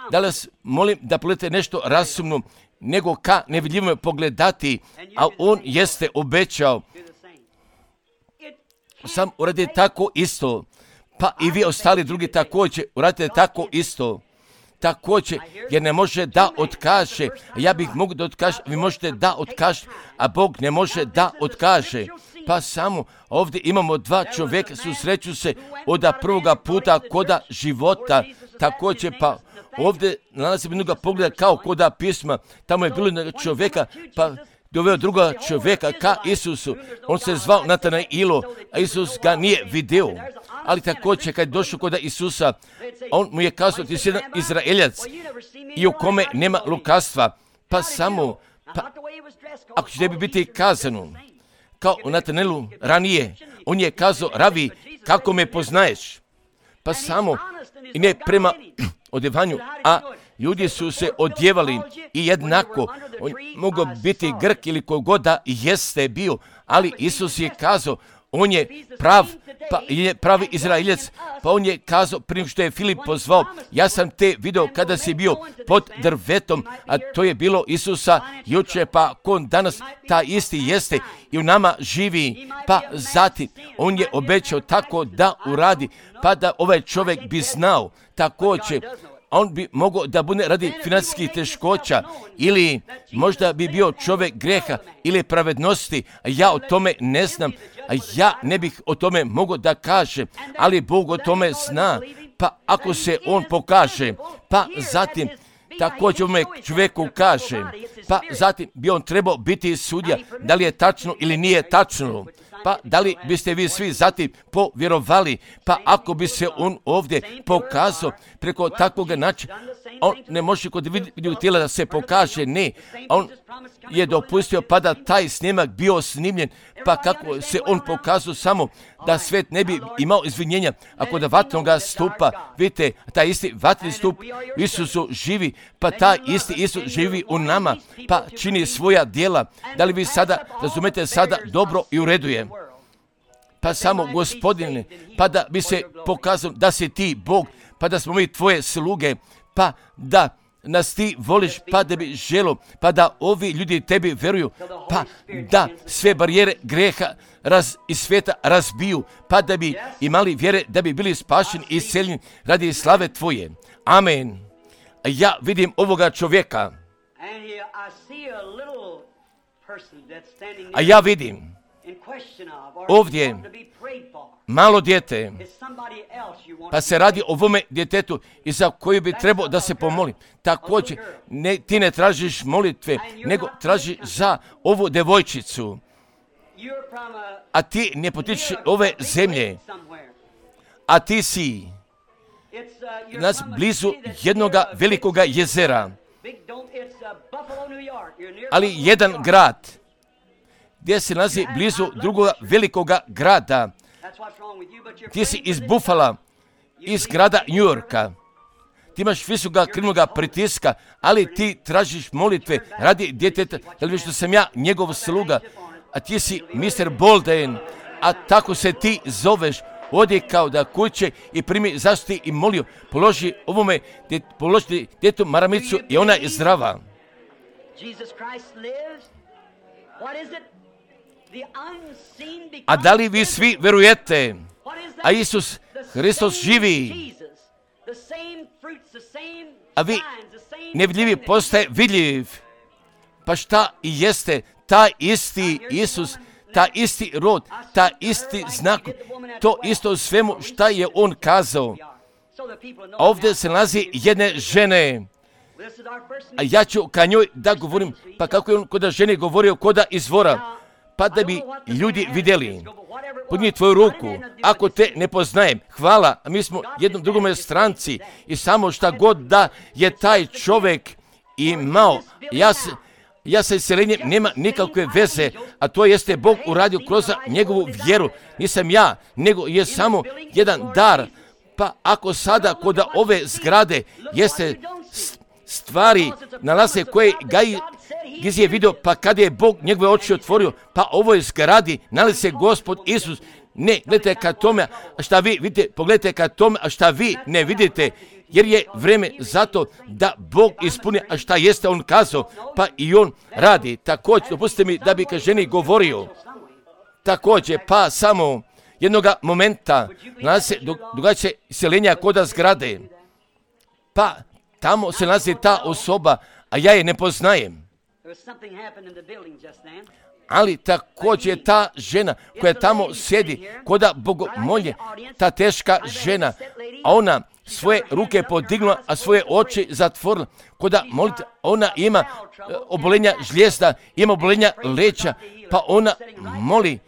da li vas molim da pogledate nešto razumno, nego ka nevidljivom pogledati, a on jeste obećao. Sam uradite tako isto, pa i vi ostali drugi također uradite tako isto. Također, jer ne može da otkaže, ja bih mogao da otkaže, vi možete da otkaže, a Bog ne može da otkaže. Pa samo ovdje imamo dva čovjeka, susreću se od prvoga puta koda života. Također, pa ovdje nalazimo jednoga pogleda kao koda pisma, tamo je bilo čovjeka, pa doveo druga čovjeka ka Isusu. On se zvao Natanailo, a Isus ga nije video. Ali također kad je došao kod Isusa, on mu je kazao, ti si jedan Izraeljac i u kome nema lukavstva, pa samo, ako će tebi biti kazano, kao u Natanailu ranije, on je kazao, Ravi, kako me poznaješ? Pa samo, i ne prema odjevanju, a ljudi su se odjevali i jednako, on mogao biti Grk ili kogod da jeste bio, ali Isus je kazao, on je pravi Izraeljac, pa on je kazao, prije što je Filip pozvao, ja sam te video kada si bio pod drvetom, a to je bilo Isusa jučer, pa kon danas ta isti jeste i u nama živi, pa zatim on je obećao tako da uradi, pa da ovaj čovjek bi znao također. On bi mogao da bude radi financijskih teškoća ili možda bi bio čovjek greha ili pravednosti, a ja o tome ne znam, a ja ne bih o tome mogao da kažem, ali Bog o tome zna, pa ako se on pokaže, pa zatim također ovome čovjeku kaže, pa zatim bi on trebao biti sudija, da li je tačno ili nije tačno. Pa da li biste vi svi zatim povjerovali, pa ako bi se on ovdje pokazao preko takvog načina, on ne može kod vidjeti tijela da se pokaže, ne, on je dopustio pa da taj snimak bio snimljen, pa kako se on pokazao samo da svet ne bi imao izvinjenja, ako da vatnoga stupa, vidite, taj isti vatni stup u Isusu živi, pa taj isti Isus živi u nama, pa čini svoja djela. Da li vi sada razumete sada dobro i u redu je? Pa samo, Gospodine, pa da bi se pokazao da si ti Bog, pa da smo mi tvoje sluge, pa da nas ti voliš, pa da bi želo, pa da ovi ljudi tebi veruju, pa da sve barijere greha iz svijeta razbiju, pa da bi imali vjere, da bi bili spašeni i isceljeni radi slave tvoje. Amen. Ja vidim ovoga čovjeka, a ja vidim ovdje malo dijete, pa se radi o ovome djetetu i za koju bi trebao da se pomoli. Također, ti ne tražiš molitve, nego tražiš za ovu devojčicu, a ti ne potičeš ove zemlje, a ti si nas blizu jednoga velikoga jezera, ali jedan grad gdje se nalazi blizu drugoga velikoga grada. Ti si iz Buffala, iz grada New Yorka. Ti imaš visoka krvnoga pritiska, ali ti tražiš molitve radi djeteta, da li što sam ja njegov sluga, a ti si Mr. Bolden, a tako se ti zoveš. Odi kao da kuće i primi zaštiti i molio, položi ovome, položi djetu maramicu i ona je zdrava. A da li vi svi verujete? A Isus Hristos živi, a vi nevidljivi postaje vidljiv. Pa šta i jeste taj isti Isus, taj isti rod, taj isti znak, to isto u svemu šta je on kazao. A ovdje se nalazi jedne žene, a ja ću ka njoj da govorim, pa kako je on kod žene govorio koda izvora, pa da bi ljudi vidjeli. Podniji tvoju ruku, ako te ne poznajem, hvala, a mi smo jednom drugome stranci i samo šta god da je taj čovjek imao, ja sa iseljenjem nema nikakve veze, a to jeste Bog uradio kroz njegovu vjeru. Nisam ja, nego je samo jedan dar. Pa ako sada kod ove zgrade jeste stvari nalaze koje Giz je vidio, pa kada je Bog njegove oči otvorio, pa ovoj zgradi nalazi se Gospod Isus. Ne, gledajte ka tome, a šta vi vidite, pogledajte ka tome, a šta vi ne vidite, jer je vreme zato da Bog ispuni, a šta jeste on kazao, pa i on radi. Također, dopustite mi da bi ka ženi govorio. Također, pa samo jednoga momenta nalazi se događa iseljenja koda zgrade. Pa tamo se nalazi ta osoba, a ja je ne poznajem. Ali također ta žena koja tamo sjedi koda bogomolje, ta teška žena, a ona svoje ruke podigla, a svoje oči zatvorila. Koda molite, ona ima obolenja žlijezda, ima obolenja leća, pa ona moli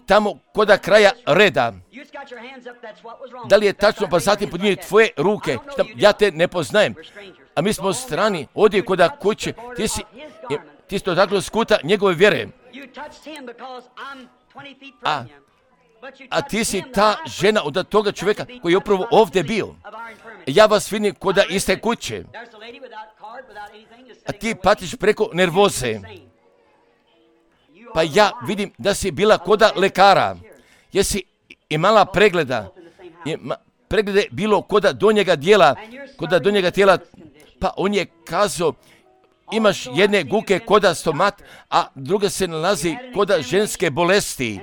tamo koda kraja reda. Da li je tačno, pa zatim podigni tvoje ruke, ja te ne poznajem, a mi smo strani, odi koda kuće, ti si dotaknuo skuta njegove vjere. A ti si ta žena od toga čovjeka koji je upravo ovdje bio. Ja vas vidim koda iste kuće. A ti patiš preko nervoze. Pa ja vidim da si bila koda lekara. Jesi imala pregleda. Preglede bilo koda donjega tijela. Pa on je kazao, imaš jedne guke koda stomat, a druga se nalazi koda ženske bolesti.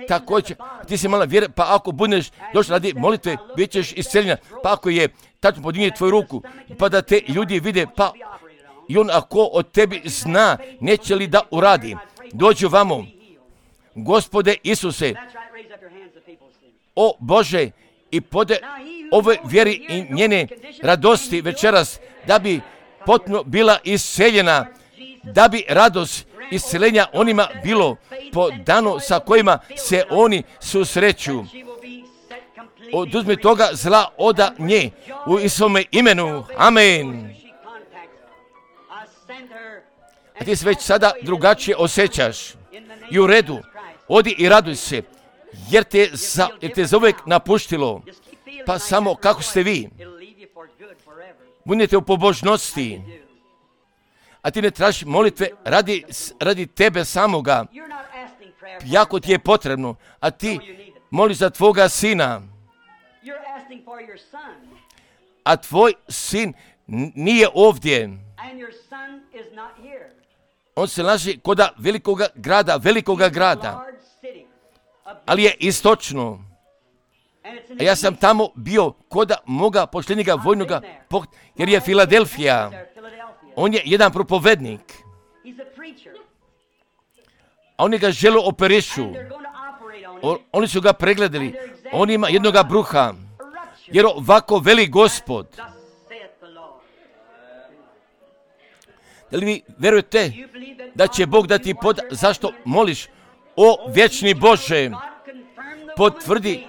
Također, ti si mala vjera, pa ako budeš došla radi molitve, bit ćeš isceljena. Pa ako je tačno podigni tvoju ruku, pa da te ljudi vide, pa i on ako od tebi zna, neće li da uradi. Dođu vamo, Gospode Isuse, o Bože, i pode ove vjeri i njene radosti večeras, da bi potpuno bila isceljena, da bi radost isceljenja onima bilo po danu sa kojima se oni susreću. Oduzmi toga zla oda nje u Isovome imenu. Amen. A ti se već sada drugačije osjećaš. I u redu, odi i raduj se, jer te za uvijek napuštilo. Pa samo kako ste vi. Budite u pobožnosti. A ti ne tražiš molitve radi tebe samoga. Jako ti je potrebno. A ti moliš za tvoga sina. A tvoj sin nije ovdje. On se nalazi koda velikoga grada. Ali je istočno. A ja sam tamo bio koda moga poštenjega vojnoga, jer je Filadelfija. On je jedan propovednik. A oni ga žele operišu. Oni su ga pregledali. On ima jednoga bruha. Jer ovako veli Gospod. Da li vi verujete da će Bog dati zašto moliš? O vječni Bože, potvrdi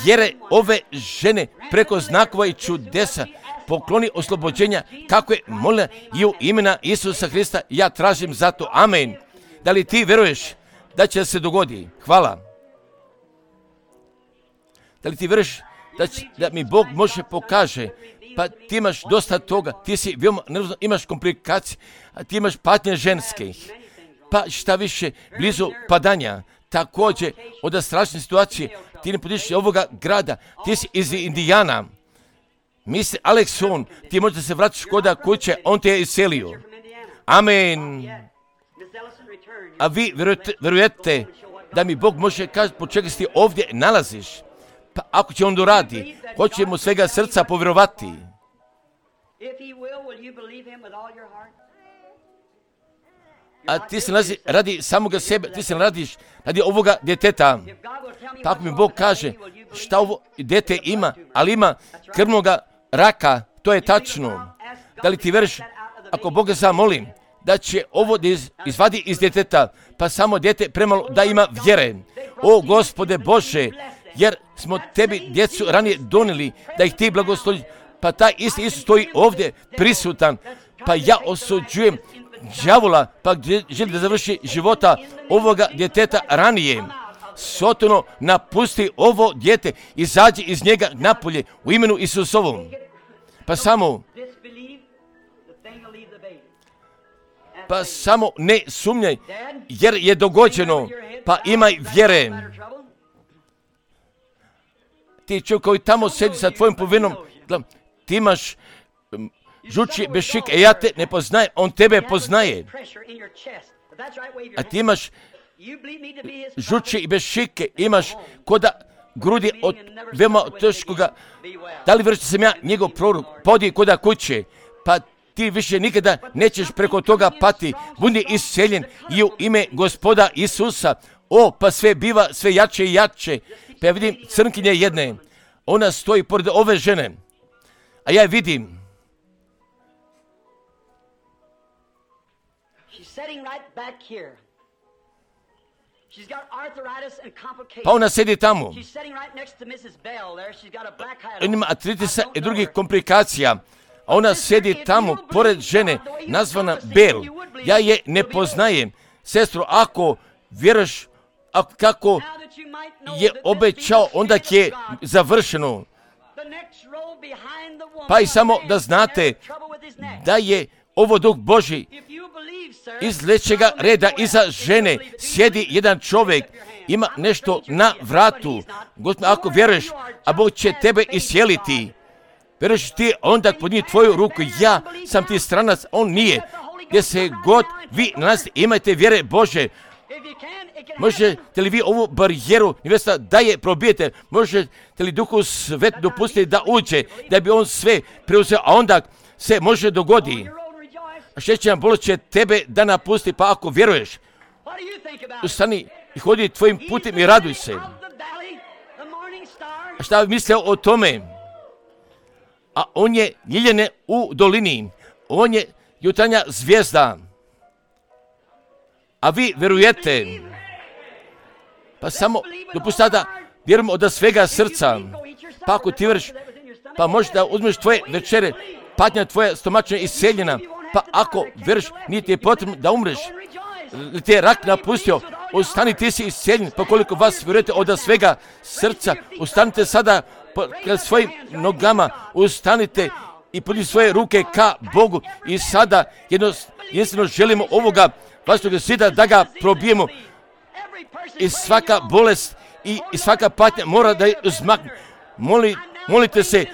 vjere ove žene preko znakova i čudesa, pokloni oslobođenja kako je molila i u imena Isusa Hrista ja tražim za to. Amen. Da li ti veruješ da će se dogodi? Hvala. Da li ti veruješ da mi Bog može pokaže? Pa ti imaš dosta toga, ti si veoma nervozan, imaš komplikacije, a ti imaš patnje ženskih. Pa šta više, blizu padanja, također od strašne situacije, ti ne podiš ovoga grada, ti si iz Indijana. Misli Alekson, ti možda se vratiš koda kuće, on te je iselio. Amen. A vi verujete da mi Bog može kazati po čega si ti ovdje nalaziš? Pa ako će on doradi, hoće mu svega srca povjerovati. A ti se nalazi radi samoga sebe, ti se radiš radi ovoga djeteta. Pa ako mi Bog kaže šta ovo djete ima, ali ima krvnoga raka, to je tačno. Da li ti veriš, ako Boga zamolim, da će ovo izvadi iz djeteta, pa samo djete premalo da ima vjere. O Gospode Bože, jer smo tebi djecu ranije donijeli da ih ti blagosloviš, pa taj isti Isus stoji ovdje prisutan, pa ja osuđujem đavola, pa želi da završi života ovoga djeteta ranije. Sotono, napusti ovo dijete, izađi iz njega napolje u imenu Isusovom. Pa samo ne sumnjaj, jer je dogođeno, pa imaj vjere. Ti čovjek koji tamo sedi sa tvojim povinom, ti imaš žuči bešike, ja te ne poznajem, on tebe poznaje. A ti imaš žuči i bešike, imaš koda grudi od veoma teškoga. Da li vrši sam ja njegov prorok, podi koda kuće, pa ti više nikada nećeš preko toga pati, budi isceljen i u ime Gospoda Isusa. O, pa sve biva sve jače i jače. Pa ja vidim crnkinje jedne, Ona stoji pored ove žene, a ja je vidim. Pa ona sedi tamo. Ima artritisa i drugih komplikacija. A ona sedi tamo pored žene nazvana Bel. Ja je ne poznajem. Sestro, ako vjeruješ kako je obećao, onda je završeno. Pa i samo da znate da je ovo Duh Božji. Iz trećega reda iza žene sjedi jedan čovjek, ima nešto na vratu. Gospod, ako vjeruješ, a Bog će tebe isjeliti. Vjeruješ ti, onda podniji tvoju ruku. Ja sam ti stranac, on nije. Gdje se god vi nalazite, imajte vjere Bože. Možete li vi ovu barijeru nevesta da je probijete? Možete li Duhu Svet dopustiti da uđe, da bi on sve preuzeo, a onda se može dogodi. A šećerna bolest će tebe da napusti, pa ako vjeruješ, ustani i hodi tvojim putem i raduj se. A šta mislio o tome? A on je ljiljane u dolini. On je jutarnja zvijezda. A vi vjerujete. Pa samo dopustite da vjerujemo od svega srca. Pa ako ti vjeruješ, pa možeš da uzmeš tvoje večere, patnja tvoja stomačna isceljena. Pa ako vjeruješ, nije ti je potrebno da umreš. Ti je rak napustio, ustani, ti si isceljen. Pa koliko vas vjerujete od svega srca, ustanite sada kad svojim nogama, ustanite i podnijete svoje ruke ka Bogu. I sada jednostavno želimo ovoga vlastnog zida da ga probijemo. I svaka bolest i svaka patnja mora da je uzmakne. Molite se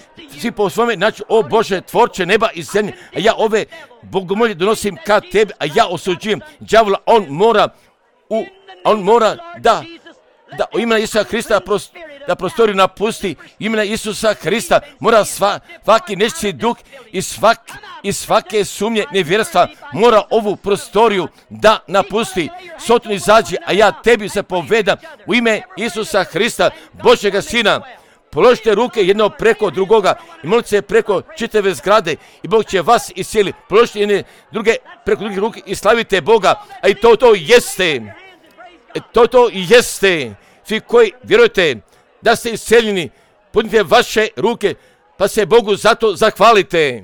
svi po svome načinu, o Bože, tvorče neba i zemlje, a ja ove bogomolje donosim ka tebi, a ja osuđujem đavola, on mora da u imena Isusa Hrista da prostoriju napusti. Imena Isusa Hrista mora svaki nečiji duh i svake sumnje nevjerstva mora ovu prostoriju da napusti. Sotoni izađi, a ja tebi zapovedam u ime Isusa Hrista, Božjega Sina. Položite ruke jedno preko drugoga i molite se preko čitave zgrade i Bog će vas iscijeliti. Položite jedne druge preko drugih ruke i slavite Boga. A i to jeste. To jeste. Svi koji vjerujete da ste iscijeljeni, podnite vaše ruke pa se Bogu zato zahvalite.